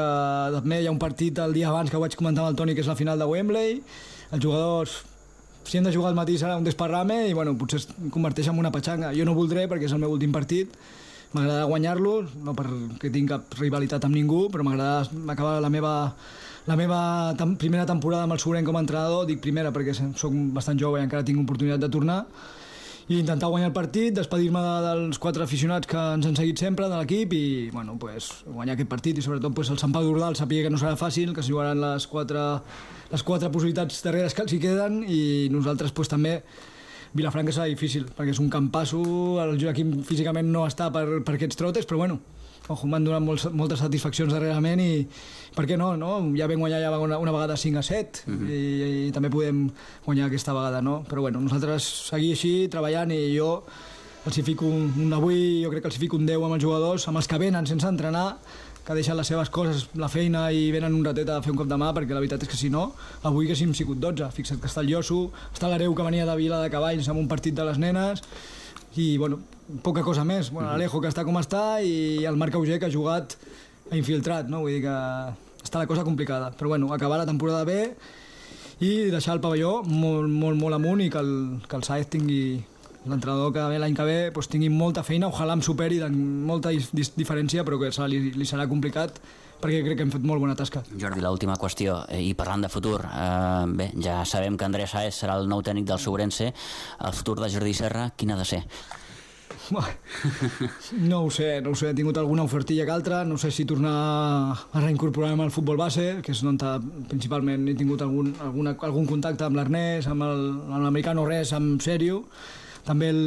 també hi ha un partit el dia abans que ho vaig comentar amb el Toni, que és la final de Wembley. Els jugadors, si hem de jugar al matí serà un desparrame i bueno, potser es converteix en una patxanga. Jo no voldré perquè és el meu últim partit. M'agrada guanyar-lo, no perquè tinc cap rivalitat amb ningú, però m'agrada acabar la meva, la meva tem- primera temporada amb el Sobrense com a entrenador. Dic primera perquè soc bastant jove i encara tinc oportunitat de tornar. I intentar guanyar el partit, despedir-me de, dels quatre aficionats que ens han seguit sempre de l'equip i bueno, pues, guanyar aquest partit i sobretot pues, el Sant Pau d'Ordal sàpiga que no serà fàcil, que s'hi jugaran les quatre, les quatre possibilitats darreres que els hi queden i nosaltres pues, també Vilafranca serà difícil, perquè és un campasso, el Joaquim físicament no està per, per aquests trotes, però bueno, ojo, m'han donat molts, moltes satisfaccions darrerament i per què no, no? Ja vam guanyar ja una, una vegada cinc a set uh-huh. i, i també podem guanyar aquesta vegada, no? Però bueno, nosaltres seguir així, treballant, i jo els hi fico un, un avui, jo crec que els hi fico un deu amb els jugadors, amb els que venen sense entrenar, que deixen les seves coses, la feina, i venen un ratet a fer un cop de mà, perquè la veritat és que si no, avui haguéssim sigut dotze. Fixa't que està el Josu, està l'Areu, que venia de Vila de Cavalls amb un partit de les nenes, i bueno, poca cosa més. Bueno, l'Alejo, que està com està, i el Marc Auger, que ha jugat a infiltrat, no? Vull dir que està la cosa complicada. Però bueno, acabar la temporada bé i deixar el pavelló molt, molt, molt amunt, i que el, que el Saez tingui, l'entrenador que ve l'any que ve, doncs tingui molta feina, ojalà em superi de molta diferència, però que li, li serà complicat, perquè crec que hem fet molt bona tasca. Jordi, l'última qüestió, i parlant de futur, eh, bé, ja sabem que Andrés Saez serà el nou tècnic del Sobrense, el futur de Jordi Serra, quin ha de ser? No ho sé, no ho sé, he tingut alguna ofertilla que altra, no sé si tornar a reincorporar-me al futbol base, que és on principalment he tingut algun, alguna, algun contacte amb l'Ernest, amb l'americà, no res, amb sèrio. També el,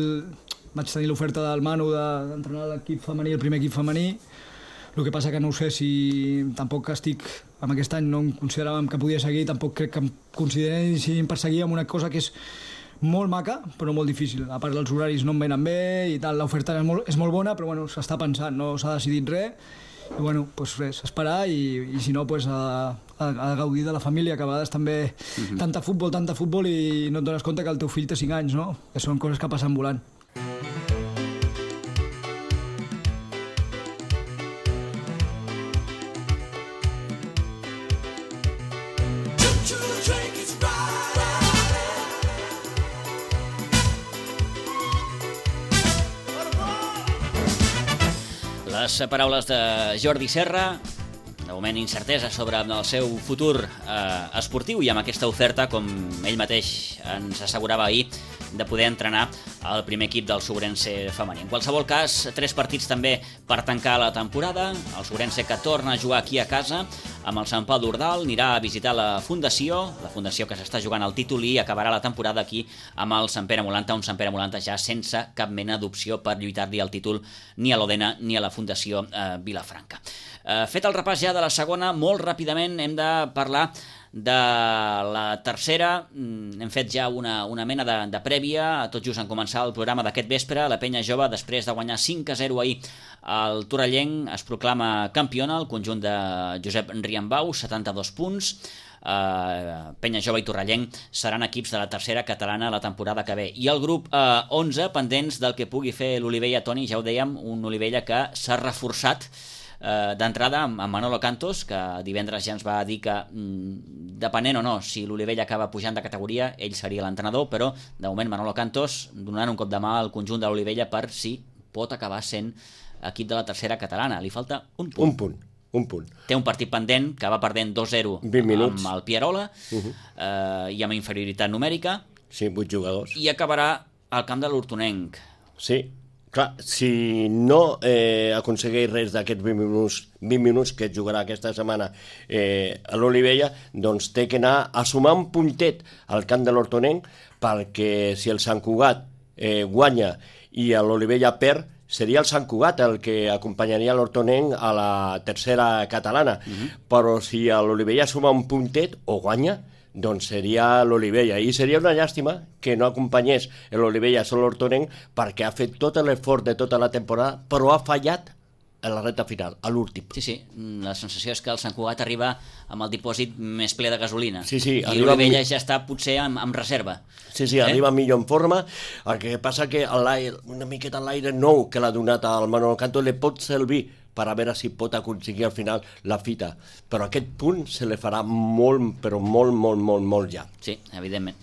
vaig tenir l'oferta del Manu d'entrenar l'equip femení, el primer equip femení. El que passa que no ho sé si tampoc estic, amb aquest any no em consideràvem que podia seguir, tampoc crec que em consideressin per seguir amb una cosa que és molt maca, però molt difícil. A part, els horaris no em venen bé i tal, l'oferta és molt, és molt bona, però bueno, s'està pensant, no s'ha decidit res. I bueno, doncs res, esperar, i, i si no, doncs a, a, a gaudir de la família, que a vegades també uh-huh. tanta futbol, tanta futbol, i no et dones compte que el teu fill té cinc anys, no? Que són coses que passen volant. Les paraules de Jordi Serra, de moment incertesa sobre el seu futur eh, esportiu, i amb aquesta oferta, com ell mateix ens assegurava ahir, de poder entrenar el primer equip del Sobrense femení. En qualsevol cas, tres partits també per tancar la temporada. El Sobrense, que torna a jugar aquí a casa amb el Sant Pau d'Ordal, anirà a visitar la Fundació, la Fundació que s'està jugant el títol, i acabarà la temporada aquí amb el Sant Pere Molanta, un Sant Pere Molanta ja sense cap mena d'opció per lluitar-li el títol ni a l'Odena ni a la Fundació eh, Vilafranca. Eh, fet el repàs ja de la segona, molt ràpidament hem de parlar de la tercera. Hem fet ja una, una mena de, de prèvia, tot just en començar el programa d'aquest vespre. La Penya Jove, després de guanyar cinc a zero ahir al Torrellenc, es proclama campiona, el conjunt de Josep Riambau, setanta-dos punts. Uh, Penya Jove i Torrellenc seran equips de la tercera catalana la temporada que ve, i el grup uh, onze pendents del que pugui fer l'Olivella. Toni, ja ho dèiem, un Olivella que s'ha reforçat uh, d'entrada amb, amb Manolo Cantos, que divendres ja ens va dir que mm, depenent o no si l'Olivella acaba pujant de categoria, ell seria l'entrenador, però de moment Manolo Cantos donant un cop de mà al conjunt de l'Olivella per si pot acabar sent equip de la tercera catalana. Li falta un punt. Un punt. Un punt. Té un partit pendent que va perdent dos a zero amb el Pierola, uh-huh. eh, i amb inferioritat numèrica. Sí, vuit jugadors. I acabarà al camp de l'Hortonenc. Sí, clar, si no eh, aconsegueix res d'aquests vint minuts, vint minuts que jugarà aquesta setmana eh, a l'Olivella, doncs té que anar a sumar un puntet al camp de l'Hortonenc, perquè si el Sant Cugat eh, guanya i l'Olivella perd, seria el Sant Cugat el que acompanyaria l'Hortonenc a la tercera catalana. Uh-huh. Però si l'Olivella suma un puntet o guanya, doncs seria l'Olivella. I seria una llàstima que no acompanyés l'Olivella a l'Hortonenc, perquè ha fet tot l'esforç de tota la temporada, però ha fallat a la recta final, a l'últim. Sí, sí, la sensació és que el Sant Cugat arriba amb el dipòsit més ple de gasolina. Sí, sí, i l'Olivella ja està potser amb, amb reserva. Sí, sí, eh? Arriba millor en forma. El que passa que una miqueta a l'aire nou que l'ha donat al Manolo Canto li pot servir per a veure si pot aconseguir al final la fita. Però aquest punt se li farà molt, però molt, molt, molt, molt ja. Sí, evidentment.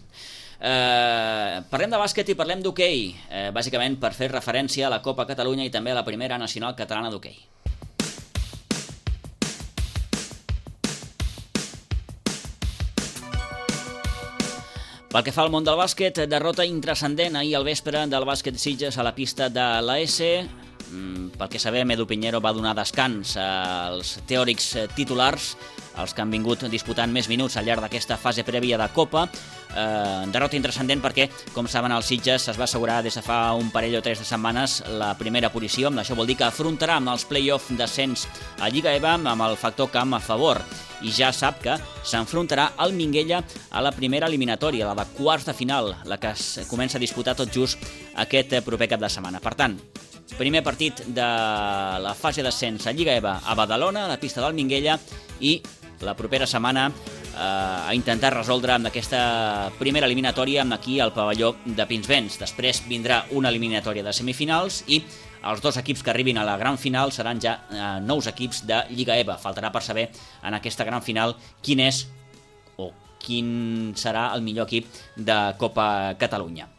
Eh, parlem de bàsquet i parlem d'hoquei, eh, bàsicament per fer referència a la Copa Catalunya i també a la Primera Nacional Catalana d'Hoquei. Pel que fa al món del bàsquet, derrota intrascendent ahir al vespre del bàsquet Sitges a la pista de l'A S. pel que sabem, Edu Piñero va donar descans als teòrics titulars, els que han vingut disputant més minuts al llarg d'aquesta fase prèvia de Copa. Eh, derrota intrascendent perquè, com saben, el Sitges es va assegurar des de fa un parell o tres de setmanes la primera posició. Això vol dir que afrontarà amb els play-off d'ascens a Lliga E V A amb el factor camp a favor. I ja sap que s'enfrontarà al Minguella a la primera eliminatòria, la de quarts de final, la que es comença a disputar tot just aquest proper cap de setmana. Per tant, primer partit de la fase d'ascens a Lliga E V A a Badalona, a la pista del Minguella, i la propera setmana eh, a intentar resoldre amb aquesta primera eliminatòria amb aquí al pavelló de Pinsbens. Després vindrà una eliminatòria de semifinals i els dos equips que arribin a la gran final seran ja eh, nous equips de Lliga E V A. Faltarà per saber en aquesta gran final quin és o quin serà el millor equip de Copa Catalunya.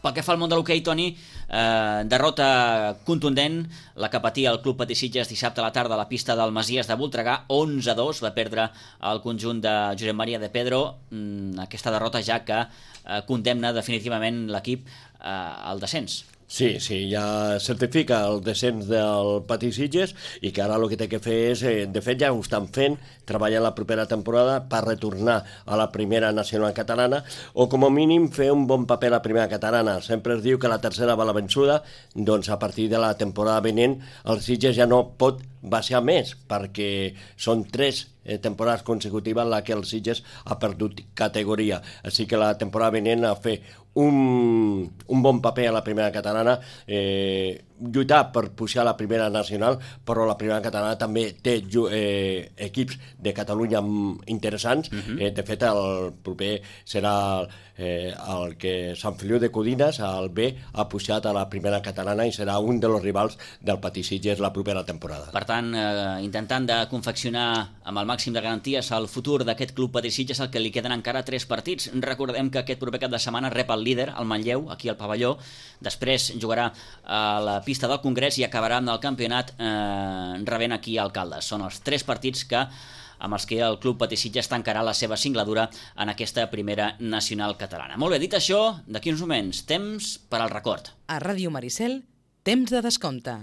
Pel que fa al món de l'hoquei, Toni, eh, derrota contundent, la que patia el Club Patí Sitges dissabte a la tarda a la pista del Masies de Voltregà, onze a dos, va perdre el conjunt de Josep Maria de Pedro, mm, aquesta derrota ja que eh, condemna definitivament l'equip eh, al descens. Sí, sí, ja certifica el descens del Patí Sitges i que ara el que té que fer és, eh, de fet ja ho estan fent, treballar la propera temporada per retornar a la primera nacional catalana o com a mínim fer un bon paper a la primera catalana. Sempre es diu que la tercera va la vençuda, doncs a partir de la temporada vinent el Sitges ja no pot baixar més perquè són tres eh, temporades consecutives en la que el Sitges ha perdut categoria. Així que la temporada vinent a fer un, un bon paper a la primera catalana, eh, lluitar per pujar a la primera nacional, però la primera catalana també té eh, equips de Catalunya interessants. Uh-huh. eh, de fet, el proper serà eh, el que Sant Feliu de Codines, el B, ha pujat a la primera catalana i serà un dels rivals del Patí Sitges la propera temporada. Per tant, eh, intentant de confeccionar amb el màxim de garanties el futur d'aquest Club Patí Sitges, el que li queden encara tres partits. Recordem que aquest proper cap de setmana rep el líder, el Manlleu, aquí al pavelló, després jugarà a la pista del Congrés i acabarà amb el campionat eh, rebent aquí a Alcaldes. Són els tres partits que amb els que el Club Patí Sitges tancarà la seva singladura en aquesta primera nacional catalana. Molt bé, dit això, d'aquí uns moments, temps per al record. A Ràdio Maricel, temps de descompte.